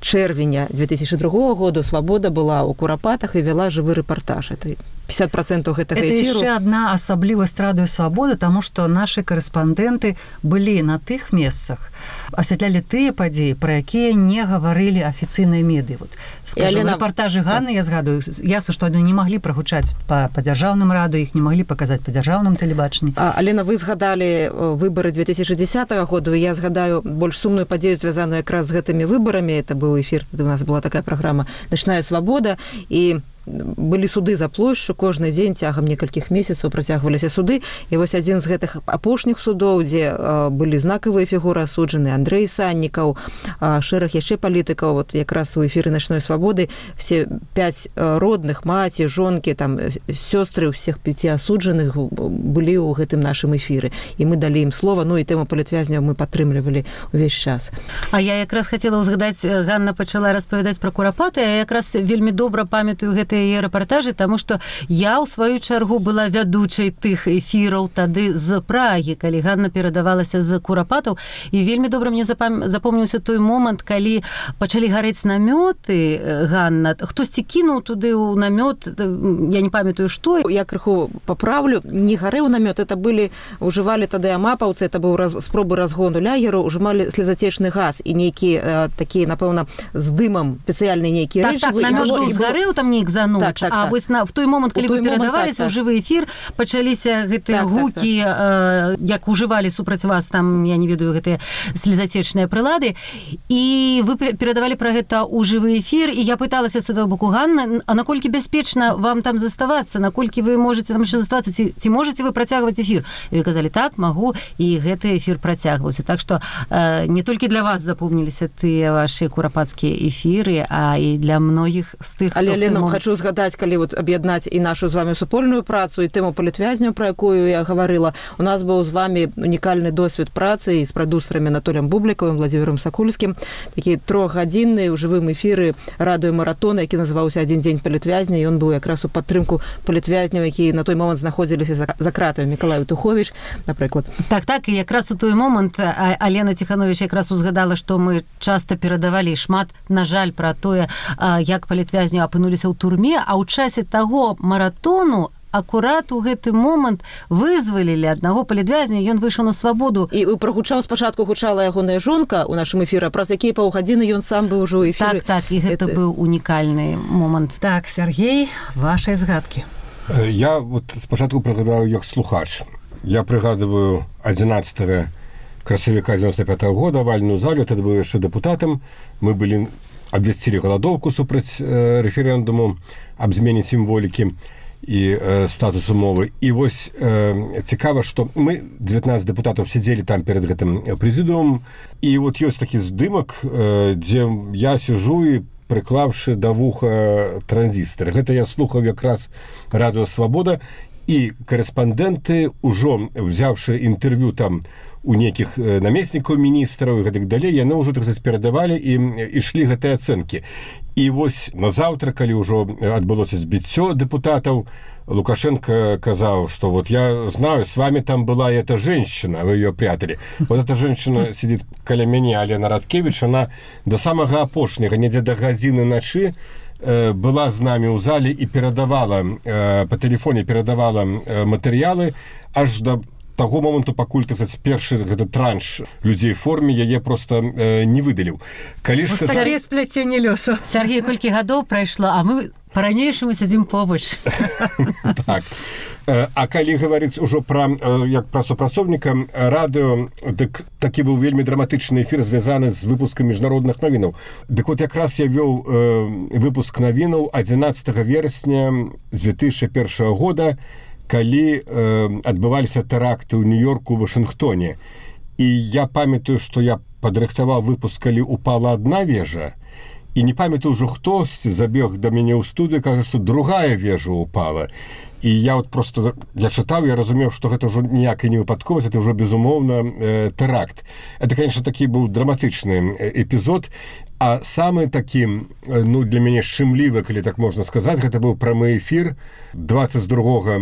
чэрвеня две тысячы другога году Свабода была ў Курапатах і вяла жывы рэпартаж. Это пятьдесят процентов гэтага эфіру. Это яшчэ адна асаблівасць Радыё Свабода, таму што нашы карэспандэнты былі на тых месцах, асвятлялі тыя падзеі, пра якія не гаварылі афіцыйныя медыі. Вот, скажем, Алена... рэпартажы Ганны, я згадую, ясна, што яны не маглі прагучаць па, па дзяржаўным радыё, іх не маглі паказаць па дзяржаўным тэлебачанні. А, Алена, вы згадалі выбары две тысячи десятого году, і я згадаю больш сумную падзею, звязаную якраз з гэтымі выбарамі. Это быў эфір, тады у нас была такая праграма «Начная свабода», і былі суды за плошчу, кожны дзень цягам некалькіх месяцаў працягваліся суды, і вось адзін з гэтых апошніх судоў, дзе былі знакавыя фігуры асуджаны, Андрэй Саннікаў, шэраг яшчэ палітыкаў, вот якраз у эфіры «Начной свабоды» все пяць родных, маці, жонкі, там сёстры ўсіх пяці асуджаных былі ў гэтым нашым эфіры, і мы далі ім слова, ну і тэму палітвязняў мы падтрымлівалі ўвесь час. А я якраз хацела ўзгадаць, Ганна пачала распавядаць пра Курапаты, а я якраз вельмі добра памятаю гэты яе рэпартажы, таму што я ў сваю чаргу была вядучай тых эфіраў тады з Прагі, калі Ганна перадавалася з Курапатаў, і вельмі добра мне запам... запомніўся той момант, калі пачалі гарэць намёты, Ганна, хтосьці кінуў туды ў намёт, я не памятаю што. Я крыху паправлю, не гарэў намёт, это былі, ужывалі тады амапаўцы, это быў раз... спробы разгону лагеру, ужывалі слезацечны газ і нейкі э, такія, напэўна, з дымам спецыяльныя нейкія так, рэчывы. Так, намёт быў згарэў, там нейк за Ціханович. Так, так, а так. вось на, в той момент, калі вы перадаваліся ў жывы эфір, пачаліся гэтыя Так, гукі, так, так. Э, як ужывалі супраць вас там, я не ведаю, гэтыя слезацечныя прылады, і вы перадавалі пра гэта ў жывы эфір, і я пыталася з этого боку: Ганна, а наколькі бяспечна вам там заставацца, наколькі вы можете там еще заставацца, ці, ці можете вы працягваць эфір? І вы казалі: так, магу, і гэты эфір працягваўся. Так што э, не толькі для вас запомніліся тыя ваши курапацкія эфіры, а і для многіх з тых, Але, хто... Лена, момент... хочу згадаць, калі вот аб'яднаць і нашу з вами супольную працу, і тэму палітвязню, про якую я гаварыла. У нас быў з вами унікальны досвед працы з прадюсерамі Анатоліем Бублікавым, Владзімірам Сакульскім, такі трохгадзінны ў жывым эфіры радыёмаратона, які называўся «Адзін дзень палітвязня», і ён быў якраз у падтрымку палітвязняў, які на той момант знаходзіліся за, за кратамі. Мікалай Туховіч, напрыклад. Так, так, і якраз у той момант Алена Ціханович якраз узгадала, што мы часта перадавалі шмат, на жаль, пра тое, як палітвязні апынуліся ў турме, а ў часе таго маратону акурат у гэты момант вызвалілі аднаго палітвязня, ён выйшаў на свабоду. І прагучаў спачатку гучала ягоная жонка ў нашым эфіры, праз якія паўгадзіны ён сам быў ужо ў эфіры. Так, так, і гэта это... быў унікальны момант. Так, Сергей, ваши згадкі. Я вот спачатку прыгадаю як слухач. Я прыгадываю адзінаццатага красавіка дзевяносто пятого года вальную залю, тады быў яшчэ дэпутатам. Мы былі абвясцілі галадоўку супраць э, рэферэндуму аб змене сімволікі і э, статусу мовы. І вось э, цікава, што мы, дзевятнаццаць дэпутатаў, сядзелі там перад гэтым прэзідыумам, і вот ёсць такі здымак, э, дзе я сижу і прыклаўшы да вуха транзістар. Гэта я слухаў якраз радыё «Свабода», і корэспандэнты, ужо взяўшы інтэрв'ю там у нейкіх намеснікаў міністраў і гэтак далей, яны ўжо, так сказаць, перадавалі і ішлі гэтыя ацэнкі. І вось назаўтра, калі ўжо адбылося збіццё дэпутатаў, Лукашенко казаў, что вот я знаю, с вами там была эта женщина, вы ее прятали. Вот эта женщина сидит каля мяне, Алена Радкевич, она до самага апошняга, недзе да гадзіны начы, была з намі ў зале і перадавала, по тэлефоне перадавала матэрыялы аж да таго моманту, пакуль, так сказать, першы гэты транш людзей в форме яе просто э, не выдаліў. Калі ж сказаць... Такія спляценне лёсу. Сергей, колькі гадоў прайшло, а мы па-ранейшаму сядзім побач. Так. А калі гаварыць ужо пра, як пра супрацоўніка радыё, дык такі быў вельмі драматычны эфір, звязаны з выпускам міжнародных навінаў. Дык вот якраз я вёў э, выпуск навінаў адзінаццатага верасня две тысячи першага года, калі э, адбываліся тэракты ў Нью-Йорку, у Вашынгтоне. І я памятаю, што я падрыхтаваў выпуск, калі упала адна вежа, і не памятаю ўжо хтосьці забег да мяне ў студыю, кажа, што другая вежа упала. І я вот просто, я чытаў, я разумеў, што гэта ўжо ніякая не выпадковасць, это ўжо, безумоўна, э, тэракт. Это, конечно, такі быў драматычны эпізод, а самы такі, ну, для мяне шчымлівы, калі так можна сказаць, гэта быў прамы эфір двадцать другога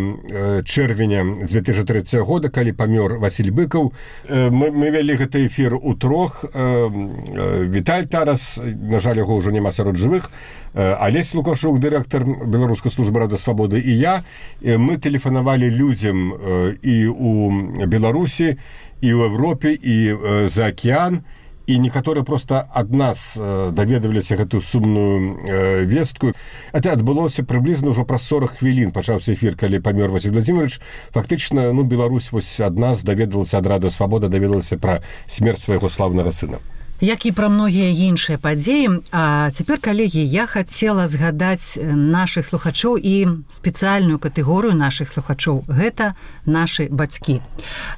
чэрвеня две тысячи трэцяга года, калі памёр Васіль Быкаў. Мы, мы вялі гэты эфір у трох. Віталь Тарас, на жаль, яго ўжо няма сярод жывых, Алесь Лукашук, дырэктар Беларускай службы радыё «Свабода», і я. Мы тэлефанавалі людзям і ў Беларусі, і ў Европе, і за акіян, і некаторыя просто ад нас даведаваліся гэтую сумную э, вестку. Это адбылося прыблізна ўжо праз сорок хвілін, пачаўся эфір, калі памёр Васіль Владимирович. Фактычна, ну, Беларусь вось ад нас даведалася, ад радыё «Свабода» даведалася пра смерць свайго слаўнага сына. Як і пра многія іншыя падзеі. А цяпер, калегі, я хацела згадаць нашых слухачоў і спецыяльную катэгорыю нашых слухачоў. Гэта нашы бацькі.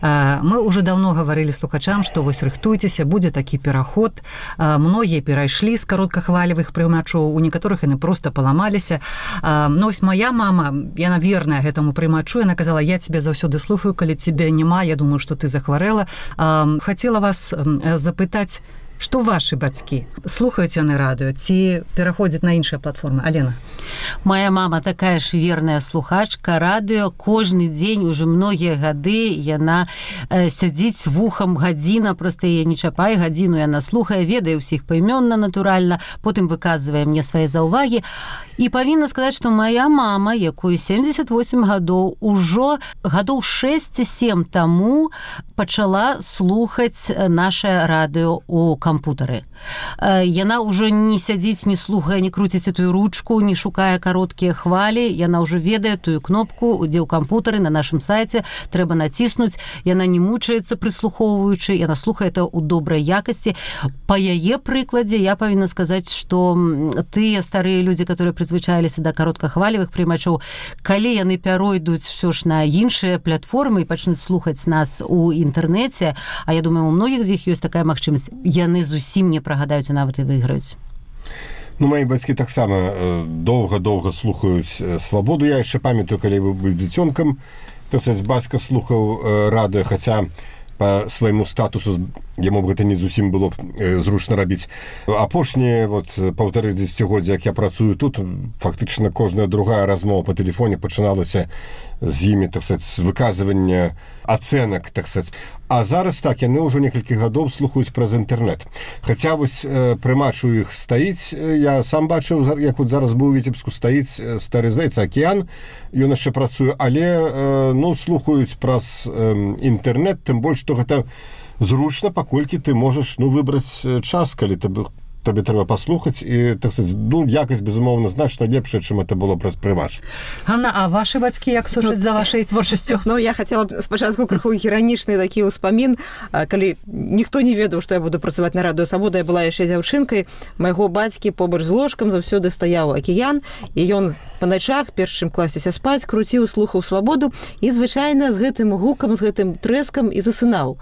Мы ўжо даўно гаварылі слухачам, што вось рыхтуйцеся, будзе такі пераход. Многія перайшлі з кароткахвалевых прымачоў, у некаторых яны проста паламаліся. Ну, вось моя мама, яна верная гэтаму прымачу, яна казала: я цябе заўсёды слухаю, калі цябе няма, я думаю, што ты захварэла. Хацела вас запытаць, што вашы бацькі слухаюць яны радыё ці пераходзяць на іншыя платформы? Алена. Моя мама такая ж верная слухачка радыё. Кожны дзень уже многія гады яна э, сядзіць вухам гадзіна, проста яе не чапай, гадзіну яна слухае, ведае ўсіх паімённа, натуральна, потым выказвае мне свае заўвагі. І павінна сказаць, што моя мама, якой семьдесят восемь гадоў, ужо гадоў шэсць-сем таму пачала слухаць наше радыё у кампутары. яна ўжо не сядзіць, не слухае, не круціць эту ручку, не шукае кароткія хвалі, яна ўжо ведае тую кнопку, дзе ў кампутары на нашым сайце трэба націснуць, яна не мучаецца прыслухоўваючы, яна слухае это ў добрай якасці. Па яе прыкладзе я павінна сказаць, што тыя старыя людзі, которые прызвычаіліся да кароткахвалевых прымачоў, калі яны пяройдуць все ж на іншыя платформы і пачнуць слухаць нас у інтэрнэце, а я думаю, у многіх з іх ёсць такая магчымасць, яны зусім не прагадаюць, а нават і выйграюць. Ну, мои бацькі таксама доўга-доўга слухаюць свабоду. Я яшчэ памятаю, калі быў дзіцёнкам, так сказаць, бацька слухаў радыё, хаця по свайму статусу яму б гэта не зусім было б зручна рабіць. Апошнія вот паўтары дзесяцігоддзя, як я працую тут, фактычна кожная другая размова па тэлефоне пачыналася з імі, так сказаць, з выказвання ацэнак, так сказаць. А зараз так, яны ўжо некалькі гадоў слухаюць праз інтэрнэт. Хаця вось прымач у іх стаіць, я сам бачыў, як вот зараз быў у Віцебску, стаіць стары, здаецца, акіян, ён яшчэ працуе, але, ну, слухаюць праз інтэрнэт, тым больш, што гэта зручна, паколькі ты можаш, ну, выбраць час, калі ты табе трэба паслухаць, і, так сказаць, ну, якасць, безумоўна, значна лепшая, чым это было праз прымач. Ганна, а ваши бацькі як сушаць за вашай творчасцю? Ну, я хацела спачатку крыху іранічны такі ўспамін, калі ніхто не ведаў, што я буду працаваць на радыё Свабода, я была яшчэ дзяўчынкай, майго бацькі побач з ложкам заўсёды стаяў акіян, і ён па начах, перш чым класціся спаць, круціў, слухаў Свабоду, і звычайна з гэтым гукам, з гэтым трэскам і засынаў.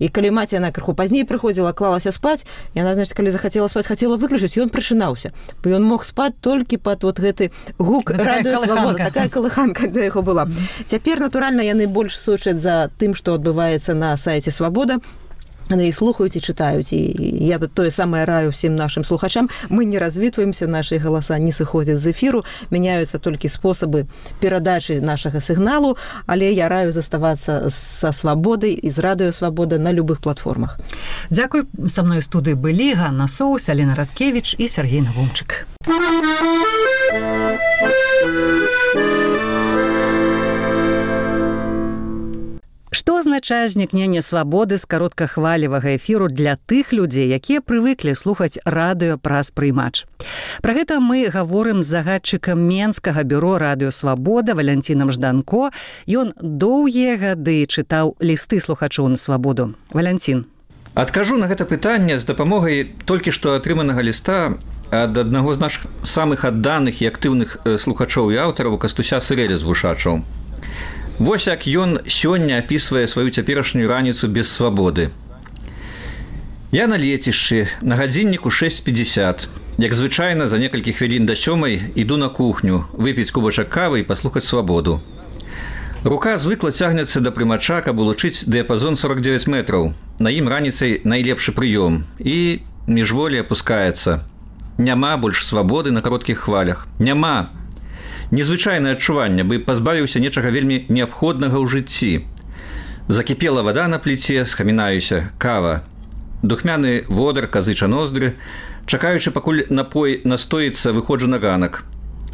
І калі маці, яна крыху пазней прыходзіла, клалася спаць, яна, значит, калі захацела спаць, хацела выключыць, ён прачынаўся, бо ён мог спаць толькі пад вот гэты гук радыё Свабода. Такая калыханка да яго была. Цяпер, натуральна, яны больш сочаць за тым, што адбываецца на сайце Свабода, яны і слухаюць, і чытаюць, і я тое самае раю всім нашым слухачам. Мы не развітваемся, нашы галаса не сыходзяць з эфіру, мяняюцца толькі спосабы перадачы нашага сігналу, але я раю заставацца са Свабодай і з радыё Свабода на любых платформах. Дзякуй. Са мной у студыі былі Ганна Соус, Алена Радкевіч і Сергей Навумчык. Што азначае знікненне свабоды з кароткахвалевага эфіру для тых людзей, якія прывыклі слухаць радыё праз прыймач? Пра гэта мы гаворым з загадчыкам Менскага бюро радыё Свабода Валянцінам Жданко. Ён доўгія гады чытаў лісты слухачоў на свабоду. Валянцін. Адкажу на гэта пытанне з дапамогай толькі што атрыманага ліста ад аднаго з нашых самых адданых і актыўных слухачоў і аўтараў Кастуся Сырэля з Вушачаў. Вось як ён сёння апісвае сваю цяперашнюю раніцу без свабоды. Я на лецішчы, на гадзінніку шэсць пятьдесят. Як звычайна, за некалькі хвілін да сёмай іду на кухню, выпіць кубачак кавы і паслухаць свабоду. Рука звыкла цягнецца да прымача, каб улучыць дыяпазон сорок девять метраў. На ім раніцай найлепшы прыём і міжволі апускаецца. Няма больш свабоды на кароткіх хвалях. Няма. Незвычайнае адчуванне, бы пазбавіўся нечага вельмі неабходнага ў жыцці. Закіпела вада на пліце, схамінаюся, кава. Духмяны водар, казыча ноздры, чакаючы, пакуль напой настоіцца, выходжу на ганак.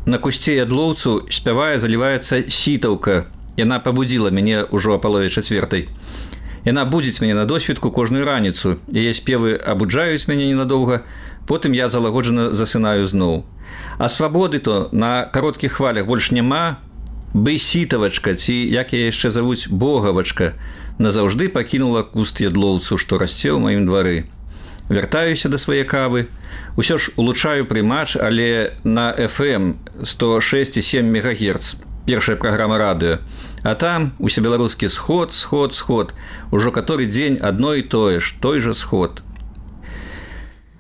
На кусце ядлоўцу спявае, заліваецца сітаўка. Яна пабудзіла мяне ўжо а палове чацвертай. Яна будзіць мяне на досвідку кожную раніцу. Яе спевы абуджаюць мяне ненадоўга, потым я залагоджана засынаю зноў. А свабоды то на кароткіх хвалях больш няма, бы сітавачка, ці, як я яшчэ завуць, богавачка, назаўжды пакінула куст ядлоўцу, што расце ў маім двары. Вяртаюся да свае кавы, усё ж улучшаю прымач, але на эф эм сто шэсць і сем мегагерц, першая праграма радыё. А там усебеларускі сход, сход, сход, ужо каторы дзень адно і тое ж, той жа сход.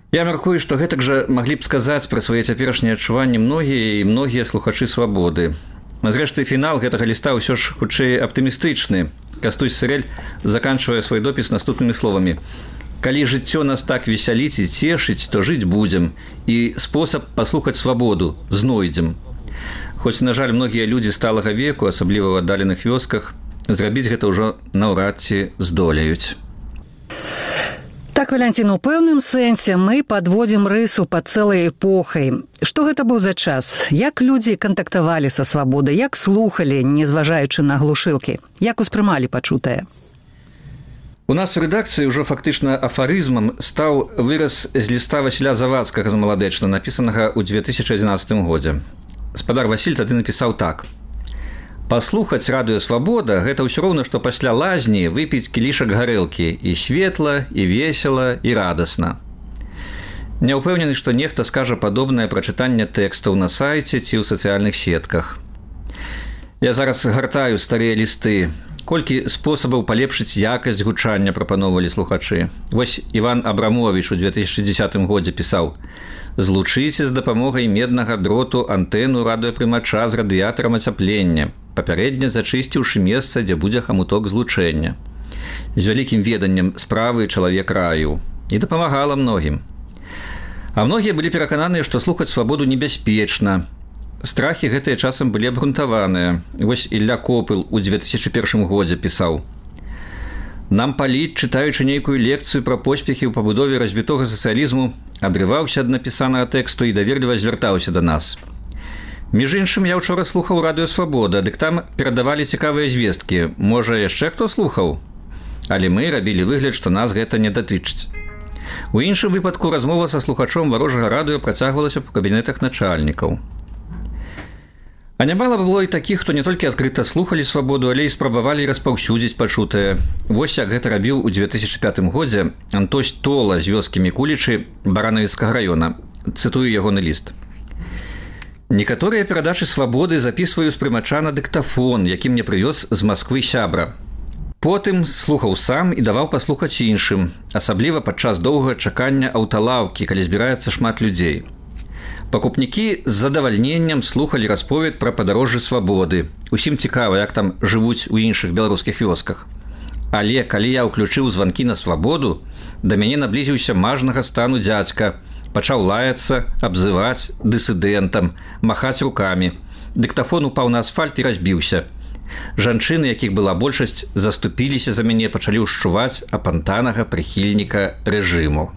Я мяркую, што гэтак жа маглі б сказаць пра свае цяперашнія адчуванні многія і многія слухачы свабоды. Зрэшты, фінал гэтага ліста ўсё ж хутчэй аптымістычны. Кастусь Сырэль заканчвае свой допіс наступнымі словамі. Калі жыццё нас так весяліць і цешыць, то жыць будзем, і спосаб паслухаць свабоду знойдзем. Хоць, на жаль, многія людзі сталага веку, асабліва ў аддаленых вёсках, зрабіць гэта ўжо наўрад ці здолеюць. Так, Валянцін, у пэўным сэнсе мы падводзім рысу пад цэлай эпохай. Што гэта быў за час? Як людзі кантактавалі са свабодай? Як слухалі, не зважаючы на глушылкі? Як успрымалі пачутае? У нас у рэдакцыі ўжо фактычна афарызмам стаў выраз з ліста Васіля Завадскага з Маладэчна, напісанага ў две тысячы адзінаццатым годзе. Спадар Васіль тады напісаў так: «Паслухаць радыё «Свабода» – гэта ўсё роўна, што пасля лазні выпіць кілішак гарэлкі, і светла, і весела, і радасна». Не ўпэўнены, што нехта скажа падобнае пра чытанне тэкстаў на сайце ці ў сацыяльных сетках. Я зараз гартаю старыя лісты. Колькі спосабаў палепшыць якасць гучання прапановвалі слухачы. Вось Іван Абрамовіч у две тысячы дзесятым годзе пісаў: «Злучыце з дапамогай меднага дроту антэну радыёпрымача з радыятарам ацяплення, папярэдне зачысціўшы месца, дзе будзе хамуток злучэння. З вялікім веданнем справы чалавек раіў. І дапамагала многім. А многія былі перакананыя, што слухаць свабоду небяспечна. Страхі гэтыя часам былі абгрунтаваныя. Вось Ілля Копыл у две тысячы першым годзе пісаў: «Нам паліт, чытаючы нейкую лекцыю пра поспехі ў пабудове развітога сацыялізму, адрываўся ад напісанага тэксту і даверліва звяртаўся да нас. Між іншым, я ўчора слухаў радыё «Свабода», дык там перадавалі цікавыя звесткі. Можа, яшчэ хто слухаў? Але мы рабілі выгляд, што нас гэта не датычыць». У іншым выпадку размова са слухачом варожага радыё працягвалася ў кабінетах начальнікаў. А нямала было і такіх, хто не толькі адкрыта слухалі «Свабоду», але і спрабавалі распаўсюдзіць пачутае. Вось як гэта рабіў у две тысячы пятым годзе Антось Тола з вёскі Мікулічы Баранавіцкага раёна. Цытую ягоны ліст. «Некаторыя перадачы «Свабоды» запісваю з прымача на дыктафон, які мне прывёз з Масквы сябра. Потым слухаў сам і даваў паслухаць іншым, асабліва падчас доўгага чакання аўталаўкі, калі збіраецца шмат людзей. Пакупнікі з задавальненнем слухалі расповед пра падарожжы «Свабоды». Усім цікава, як там жывуць у іншых беларускіх вёсках. Але калі я ўключыў званкі на «Свабоду», да мяне наблізіўся мажнага стану дзядзька, пачаў лаяцца, абзываць дысідэнтам, махаць рукамі. Дыктафон упаў на асфальт і разбіўся. Жанчыны, якіх была большасць, заступіліся за мяне, пачалі ўшчуваць апантанага прыхільніка рэжыму».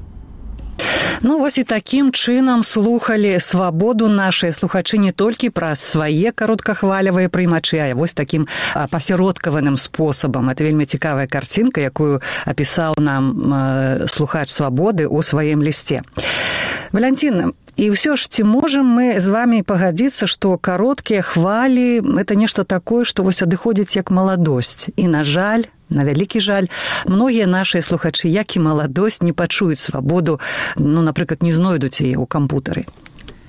Ну, вось і такім чынам слухалі «Свабоду» нашыя слухачы не толькі праз свае кароткахвалявыя прыймачы, а вось такім пасяродкаваным спосабам. Это вельмі цікавая карцінка, якую апісаў нам слухач «Свабоды» ў сваім лісце. Валянціна, і ўсё ж ці можам мы з вамі пагадзіцца, што кароткія хвалі – это нешта такое, што вось адыходзіць як маладосць. І, на жаль, на вялікі жаль, многія нашыя слухачы, як і маладосць, не пачуюць «Свабоду», ну, напрыклад, не знойдуць яе ў кампутары.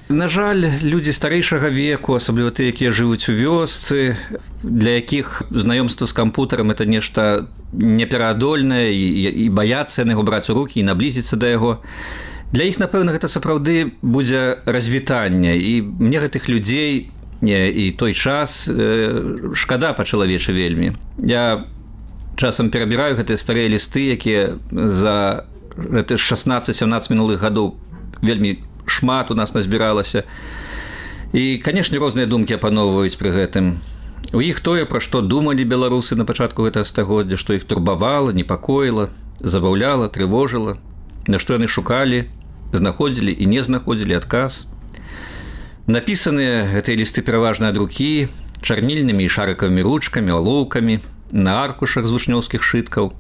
На жаль, людзі старэйшага веку, асабліва тыя, якія жывуць у вёсцы, для якіх знаёмства з кампутарам – это нешта непераадольнае, і, і баяцца яны яго браць у рукі і наблізіцца да яго. Для іх, напэўна, гэта сапраўды будзе развітанне, і мне гэтых людзей і той час шкада па-чалавечы вельмі. Я часам перабіраю гэтыя старыя лісты, якія за шаснаццаць-сямнаццаць мінулых гадоў вельмі шмат у нас назбіралася. І, канешне, розныя думкі апаноўваюць пры гэтым. У іх тое, пра што думалі беларусы на пачатку гэтага стагоддзя, што іх турбавала, непакоіла, забаўляла, трывожыла, на што яны шукалі, знаходзілі і не знаходзілі адказ. Напісаныя гэтыя лісты пераважна ад рукі, чарнільнымі і шарыкавымі ручкамі, алоўкамі, на аркушах з вучнёўскіх шыткаў.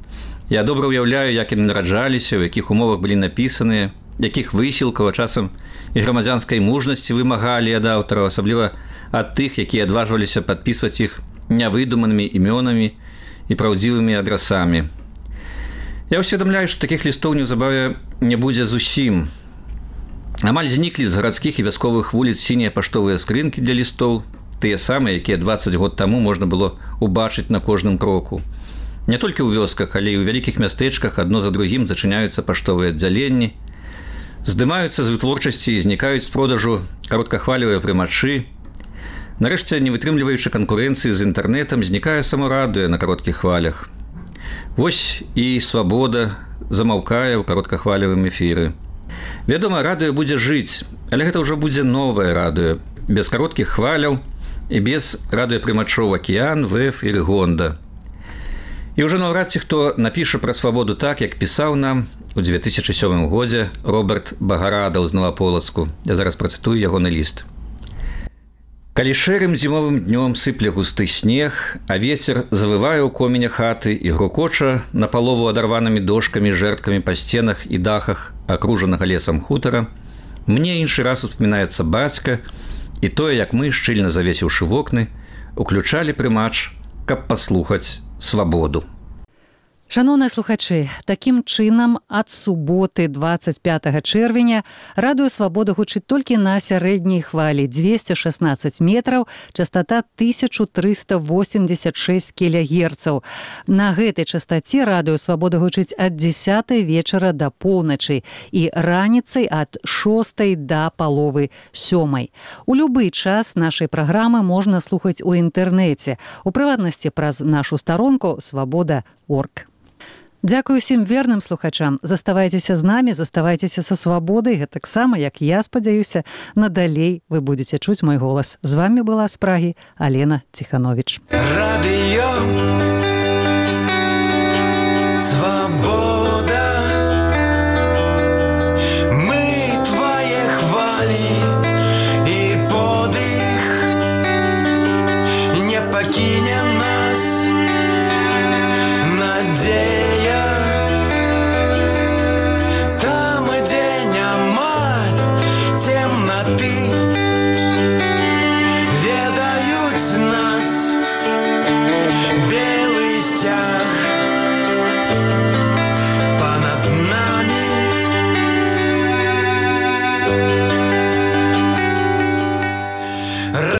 Я добра ўяўляю, як яны нараджаліся, у якіх умовах былі напісаныя, якіх высілкаў, а часам і грамадзянскай мужнасці вымагалі ад аўтараў, асабліва ад тых, якія адважваліся падпісваць іх нявыдуманымі імёнамі і праўдзівымі адрасамі. Я ўсведамляю, што такіх лістоў неўзабаве не будзе зусім. Амаль зніклі з гарадскіх і вясковых вуліц сінія паштовыя скрынкі для лістоў, тыя самыя, якія дваццаць год таму можна было убачыць на кожным кроку. Не толькі ў вёсках, але і ў вялікіх мястэчках адно за другім зачыняюцца паштовыя аддзяленні, здымаюцца з вытворчасці і знікаюць з продажу кароткахвалевыя прымачы. Нарэшце, не вытрымліваючы канкурэнцыі з інтэрнэтам, знікае само радыё на кароткіх хвалях. Вось і «Свабода» замаўкае ў кароткахвалевым эфіры. Вядома, радыё будзе жыць, але гэта ўжо будзе новае радыё, без кароткіх хваляў і без радыёпрымачоў «Акіян», «ВЭФ» і «Рыгонда». І ўжо наўрад ці хто напіша пра «Свабоду» так, як пісаў нам у две тысячы сёмым годзе Роберт Багарадаў з Новаполацку. Я зараз працытую ягоны ліст. Калі шэрым зімовым днём сыпле густы снег, а вецер завывае ў коменя хаты і грукоча напалову адарванымі дошкамі, жэрткамі па сценах і дахах акружанага лесам хутара, мне іншы раз успамінаецца бацька і тое, як мы, шчыльна завесіўшы вокны, уключалі прымач, каб паслухаць свабоду. Шановныя слухачы, такім чынам ад суботы дваццаць пятага чэрвеня радыё «Свабода» гучыць толькі на сярэдняй хвалі дзвесце шаснаццаць метраў, частата тысяча трыста восемьдесят шесть кілягерцаў. На гэтай частаце радыё «Свабода» гучыць ад дзесятай вечара да поўначы і раніцай ад шостай да паловы сёмай. У любы час нашай праграмы можна слухаць у інтэрнэце, у прыватнасці праз нашу старонку свабода крапка орг. Дзякую ўсім верным слухачам. Заставайцеся з намі, заставайцеся са свабодай. Гэтаксама, як я спадзяюся, надалей вы будзеце чуць мой голас. З вами была з Прагі Алена Ціхановіч. Радыё «Свобода». Мы твае хвалі і подых не пакінем.